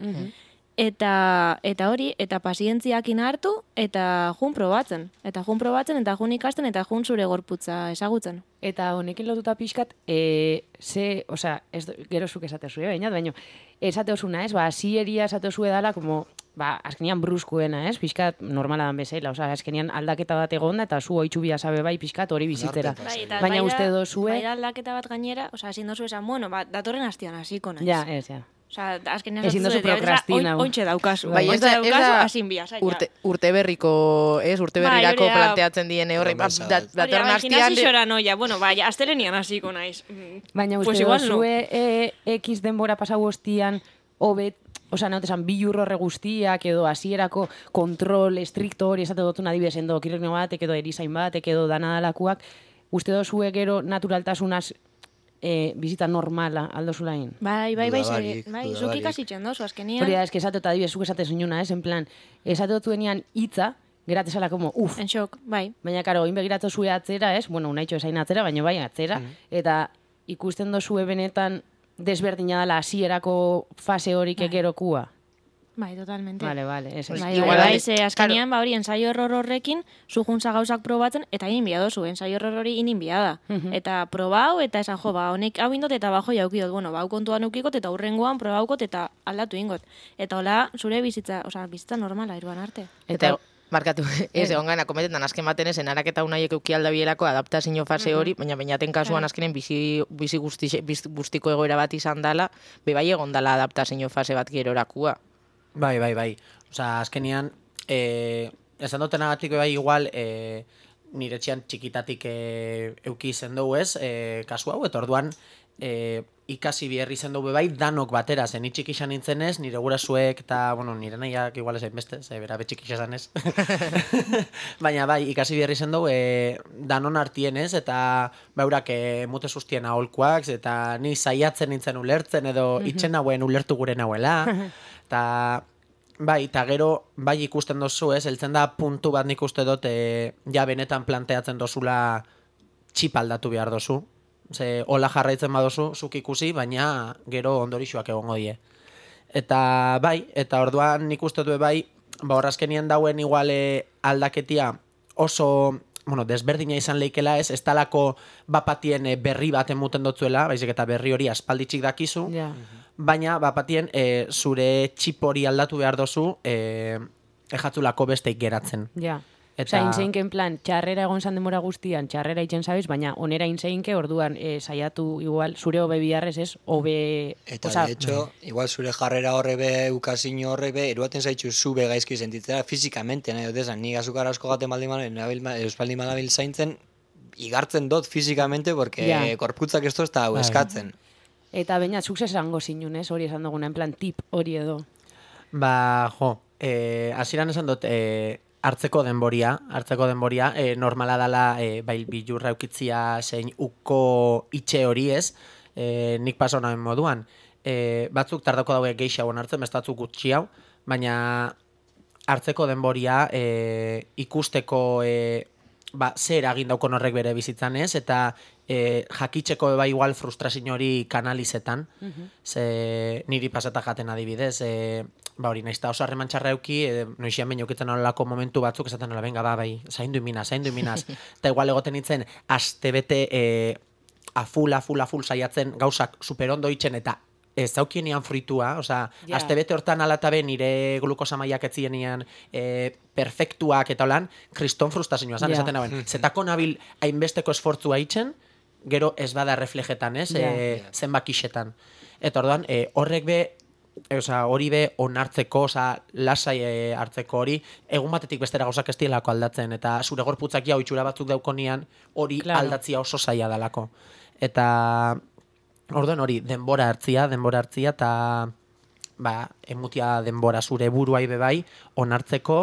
Eta, eta hori, eta pazientziakin hartu, eta jun probatzen. Eta jun probatzen, eta jun ikasten, eta jun zure gorputza ezagutzen. Eta honekin lotuta pixkat, e, ze, osea, ez, gero zuk esatezu, eh, baina, baina, esateozuna, ez, ba, asieria esateozu edala, como, ba, azkenian bruskuena, ez, pixkat normala dan bezala, osea, azkenian aldaketa bat egonda, eta zu oitxu bia sabe bai pixkat hori bizitzera. Bai, eta Baina bai da- uste dozue... Bai da aldaketa bat gainera, osea, ezin dozu esan, bueno, ba, datorren astian hasiko naiz. Ja, ez, ja. Osea, azkenean Ezin dozu sortu dut, prokrastina. oin- Ointxe daukazu. Bai, ez Ointxe da, ez daukazu, da hasin bia, zaila. urte, urte berriko, ez, urte Bai, berrirako hori da. planteatzen diene horre, ba, Promesa da, bat. Hori da, datorren bai, astian, gimnasiora noia, bueno, bai, astelenian hasiko naiz. Mm, Baina uste pues igual no. dozue e, X denbora pasau ostian, hobet, osea, nahotesan, bi jurrorre guztiak, edo hasierako kontrol estrikto hori esate dutun adibidez, endo kirurgino batek, edo erizain batek, edo danadalakuak, uste dozue gero naturaltasunaz e, bizita normala aldo zulain. Bai, bai, bai, Dudabarik, ze- bai, zuk dudabarik. ikasitzen dozu, azkenian. Hori da, eske esate, eta adibidez, zuk esate zinuna, ez, en plan, esate dutuenean hitza, geratezala como, uf, En shock, bai. baina, karo, oin begiratu zue atzera, ez, bueno, unaitxo esain atzera, baina bai atzera, eta ikusten dozue benetan desberdina dela hasierako fase horik egerokua. Bai, totalmente. Vale, vale, eso. Bai, Igual, bai, bai, ale- ze azkenean, ba hori, ensaio error horrekin, zu juntza gauzak probatzen, eta inin bia dozu, ensaio error hori inin bia da. Eta probau, eta esan jo, ba, honek hau indot, eta bajo jaukidot, bueno, ba, hau kontuan eukikot, eta hurrengoan probaukot, eta aldatu ingot. Eta hola, zure bizitza, osea, bizitza normala, iruan arte. Eta, markatu, ez, egon gana, kometetan azken baten ez, enaraketa unaiek euki aldabielako adaptazio fase hori, baina bainaten kasuan azkenen bizi, bizi guzti, biz- guztiko egoera bat izan dala, bebai egon dala adaptazio fase bat gerorakua. Bai, bai, bai. Osa, azkenian, eh, esan dutenagatik bai igual, eh, nire etxean txikitatik eh, euki izen dugu ez, eh, kasu hau, eta orduan eh, ikasi biherri izen dugu bai, danok batera, zen ni txiki izan nintzen ez, nire gurasoek eta, bueno, nire nahiak igual ezain beste, ze bera betxik izan ez. Baina bai, ikasi biherri izen dugu, eh, danon artien ez, eta beurak eh, mute sustien aholkuak, eta ni saiatzen nintzen ulertzen, edo itxen nauen ulertu gure nauela. Eta, bai, eta gero, bai ikusten dozu, ez, heltzen da puntu bat nik uste dut, e, ja benetan planteatzen dozula txip aldatu behar dozu. Ze, hola jarraitzen badozu, zuk ikusi, baina gero ondorixoak egongo die. Eta, bai, eta orduan nik uste du bai, ba horrazkenien dauen iguale aldaketia oso, bueno, desberdina izan leikela ez, ez talako bapatien eh, berri bat emuten dotzuela, baizik eta berri hori aspalditxik dakizu, Ja. baina bapatien e, zure txip hori aldatu behar dozu e, ejatzulako besteik geratzen. Ja. Eta- Eta... Osa, inseinken plan, txarrera egon zan demora guztian, txarrera itzen zabiz, baina onera inseinke, orduan e, saiatu igual, zure hobe biharrez ez, hobe... Eta, osea, de hecho, igual zure jarrera horre be, ukazino horre be, eruaten zaitxu zu be gaizki sentitzera fizikamente, nahi dut esan, nik azukar asko gaten baldin manabil, euspaldin manabil zaintzen, igartzen dot fizikamente, porque Ja. korputzak esto ez da hau Bai. eskatzen. Eta baina, zuk esango zinun, ez, hori esan duguna, en plan, tip hori edo. Ba, jo, eh, hasieran esan dut, eh, hartzeko denboria, hartzeko denboria, e, normala dela e, bai bilurra eukitzia zein uko itxe hori ez, e, nik paso nahen moduan. E, batzuk tardako daude gehiago hartzen, beste batzuk gutxi hau, baina hartzeko denboria e, ikusteko e, ba, zer egin daukon horrek bere bizitzan ez, eta e, jakitzeko bai igual frustrazio hori kanalizetan, uh-huh. Ze niri pasata jaten adibidez, e, ba hori, naizta oso harreman txarra euki, e, noixian behin eukitzen olako momentu batzuk, esaten nola, venga, ba, bai, zaindu iminaz, zaindu iminaz, eta igual egoten nintzen, aste bete e, aful, aful, aful saiatzen gauzak superondo itxen, eta ez daukienian fruitua, osea, yeah. Aste bete hortan alatabe nire glukosa mailak etzienian e, perfektuak eta holan, kriston frustazioa zan, yeah. Esaten nagoen, zetako nabil hainbesteko esfortzua itxen, gero ez bada reflejetan, ez, yeah. e, zenbakixetan. Eta orduan, e, horrek be, Osa, hori be onartzeko, osa, lasai e, hartzeko hori, egun batetik bestera gauzak ez dielako aldatzen, eta zure gorputzak jau itxura batzuk daukonian, hori claro. Aldatzia oso zaila dalako. Eta, orduan hori, denbora hartzia, denbora hartzia, eta ba, emutia denbora zure buruai bebai, onartzeko,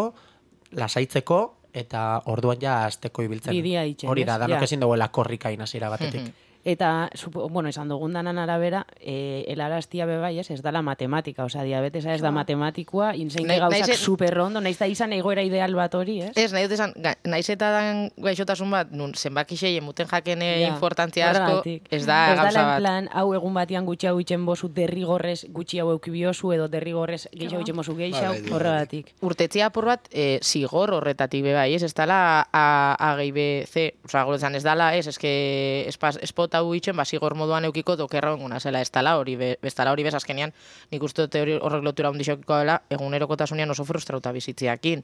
lasaitzeko, eta orduan ja azteko ibiltzen. Bidia itxen, hori da, danok ja. Ezin duguela korrikain hasiera batetik. Eta, bueno, esan dugun danan arabera, e, helaraztia bebai, ez, ez dala matematika, osea, diabetesa ez da matematikoa, inzeinke gauzak superrondo, naiz da izan egoera ideal bat hori, ez? Ez, nahi dut esan, naiz eta dan gaixotasun bat, nun, zenbakixei emuten jakene ja, importantzia asko, ez da ez gauza dala bat. En plan, hau egun batian gutxi hau itxen bozu derrigorrez gutxi hau eukibiozu, edo derrigorrez gehiago itxen bozu gehiago, horregatik. Urtetzia apur bat, e, zigor horretatik bebai, ez, ez dala A G B C, osea, goretzan ez dala, ez, ez, espot hau itxen, ba, zigor moduan eukiko dokerra benguna zela, ez tala hori, be, bestala hori bez azkenean, nik uste dute hori horrek lotura hundixokiko dela, egunerokotasunean oso frustrauta bizitziakin.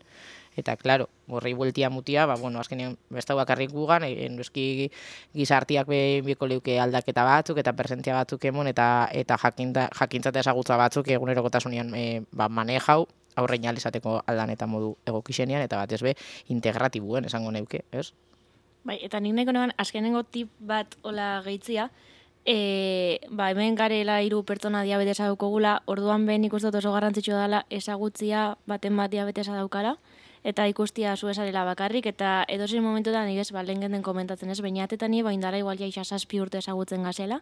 Eta, klaro, horrei bueltia mutia, ba, bueno, azkenean bestau bakarrik gugan, en eski gizartiak beko leuke aldaketa batzuk, eta presentzia batzuk emon, eta eta jakinta, jakintzate ezagutza batzuk egunerokotasunean e, ba, manejau, aurrein alizateko aldan eta modu egokixenian, eta batez be, integratibuen esango neuke, ez? Bai, eta nik nahiko neban, azkenengo tip bat hola gehitzia, e, ba, hemen garela hiru pertsona diabetesa daukogula, orduan behin nik uste dut oso garrantzitsua dela ezagutzia baten bat diabetesa daukala, eta ikustia zu esarela bakarrik, eta edozein momentuetan nire ba, lehen genden komentatzen ez, bainatetan nire baindara igual ja zazpi urte ezagutzen gazela,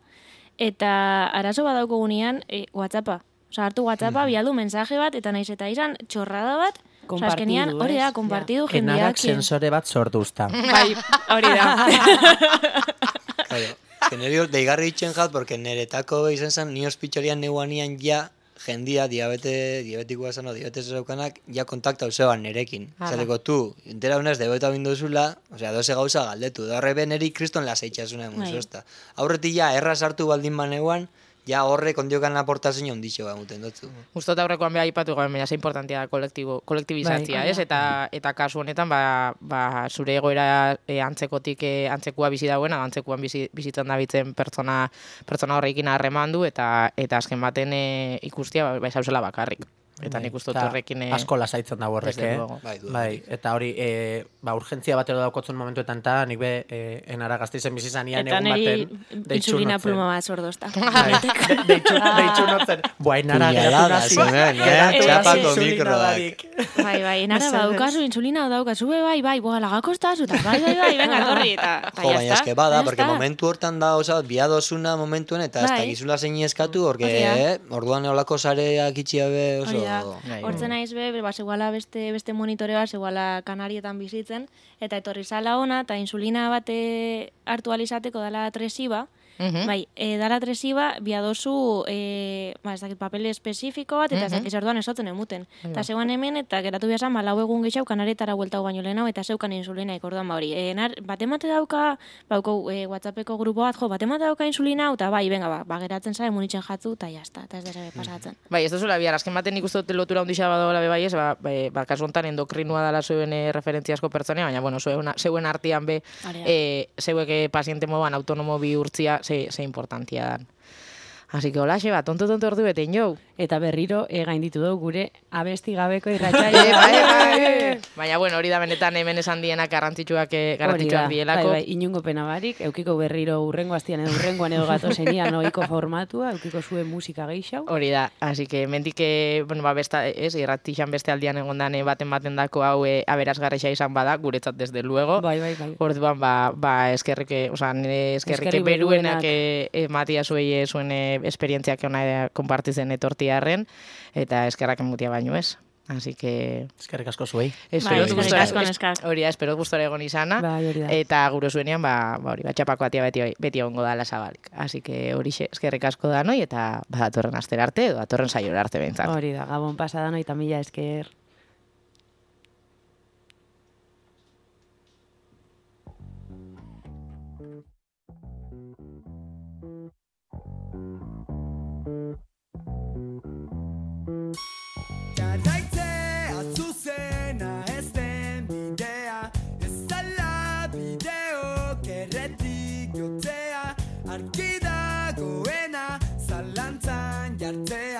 eta arazo bat daukogunean, e, WhatsAppa. Osa, hartu WhatsAppa, bialdu mensaje bat, eta naiz eta izan txorrada bat, Kompartidu, hori da, kompartidu ja. jendeak. Enarak sensore bat sortuzta. Bai, hori da. Claro, genero deigarri itxen jat, porque neretako izan zen, ni ospitxorian neuanian ja, jendia, diabete, diabetikoa zen, o diabetes zaukanak, ja kontakta useban nerekin. Zateko, tu, entera unaz, debeta binduzula, osea, doze gauza galdetu, da horre beneri kriston lasaitxasuna emun zozta. Aurretik ja, erraz hartu baldin baneuan, ja horre kondiokan aportazio ondixo ba muten dutzu. Uztot aurrekoan beha ipatu gaben, baina ze importantia da kolektibo, kolektibizatzia, bai, ez? Eta, eta kasu honetan, ba, ba, zure egoera e, antzekotik e, antzekua bizi dauen, antzekuan bizi, bizitzen dabitzen pertsona, pertsona horrekin harremandu, eta eta azken baten e, ikustia, ba, zauzela bakarrik. Eta nik uste dut horrekin... E... Asko lasaitzen dago horrek, eh? Bai, bai, eta hori, e, ba, urgentzia batero daukotzen momentuetan, eta nik be, e, enara gazteizen bizizanian egun baten... Eta niri insulina pluma bat zordozta. Bai, deitxu notzen. Boa, enara geratu nazi. Txapako mikroak. Bai, bai, enara badaukazu, insulina badaukazu, bai, bai, boa, lagakostazu, eta bai, bai, bai, venga, torri, eta jo, baina eske bada, porque momentu hortan da, oza, biadosuna momentuen, eta ez da gizula zein eskatu, porque orduan eolako sareak itxiabe oso... Hortzen naiz be, ba, seguala beste, beste monitorea, seguala Kanarietan bizitzen, eta etorri zala ona, eta insulina bate hartu alizateko dala tresiba, Uh-huh. Bai, e, dala tresiba, biadozu, e, ba, ez dakit papel espezifiko bat, eta uh-huh. ez dakit orduan esotzen emuten. Eta uh-huh. zeuan hemen, eta geratu behazan, ba, lau egun gehiago kanaretara bueltau baino lehenau, eta zeukan insulinaik orduan ba hori. E, nar, batemate dauka, bauko e, WhatsAppeko grupo bat, jo, batemate dauka insulina, eta bai, venga, ba, ba geratzen zara, munitzen jatzu, eta jazta, eta ez da zabe pasatzen. Uh-huh. Bai, ez da zula bihar, azken baten nik uste dut lotura ondixea badola bebai ez, ba, ba, ba kasu honetan endokrinua dala zuen e, referentziasko pertsonea, baina, bueno, zeuen, zeuen artian be, e, zeuek e, paziente moduan autonomo bihurtzia, ze, ze importantia dan. Así que hola, xeba, tonto tonto ordu betein jau. eta berriro e, gainditu dugu gure abesti gabeko Bai, irratsaioa. bai, bai. Baina, bueno, hori da benetan hemen esan dienak garrantzitsuak, eh, Hori da, garrantzitsuak bai, dielako. bai, inungo pena barik, eukiko berriro urrengo astian edo urrengoan edo gatozenian ohiko formatua, eukiko zuen musika gehiago. Hori da, así que mendik, eh, bueno, ba, besta, ez, irratixan beste aldian egondan eh, baten baten dako hau eh, aberazgarrexa izan bada, guretzat desde luego. Bai, bai, bai. Orduan, ba, ba eskerrike, oza, nire eskerrike Eskerrik beruenak beruenak. eh, ematia zuei eh, zuen eh, esperientziak ona konpartitzen etortiarren, eta eskerrak emutia baino ez. Así que... Eskerrik asko zuei. Espero Bai, dut eskerrik gustora- asko, es- neskak. Hori da, espero dut gustora egon izana. Bai, hori da. Eta gure zuenean, ba, ba hori, batxapako atia beti, beti egongo dala zabalik. Así que hori eskerrik asko da noi, eta ba, datorren astera arte, edo datorren saiora arte behintzat. Hori da, gabon pasada noi eta mila esker. Jarraitzea zuzena ez den bidea, ez zala bideo kerretik jotzea, argi dagoena zalantzan jartzea.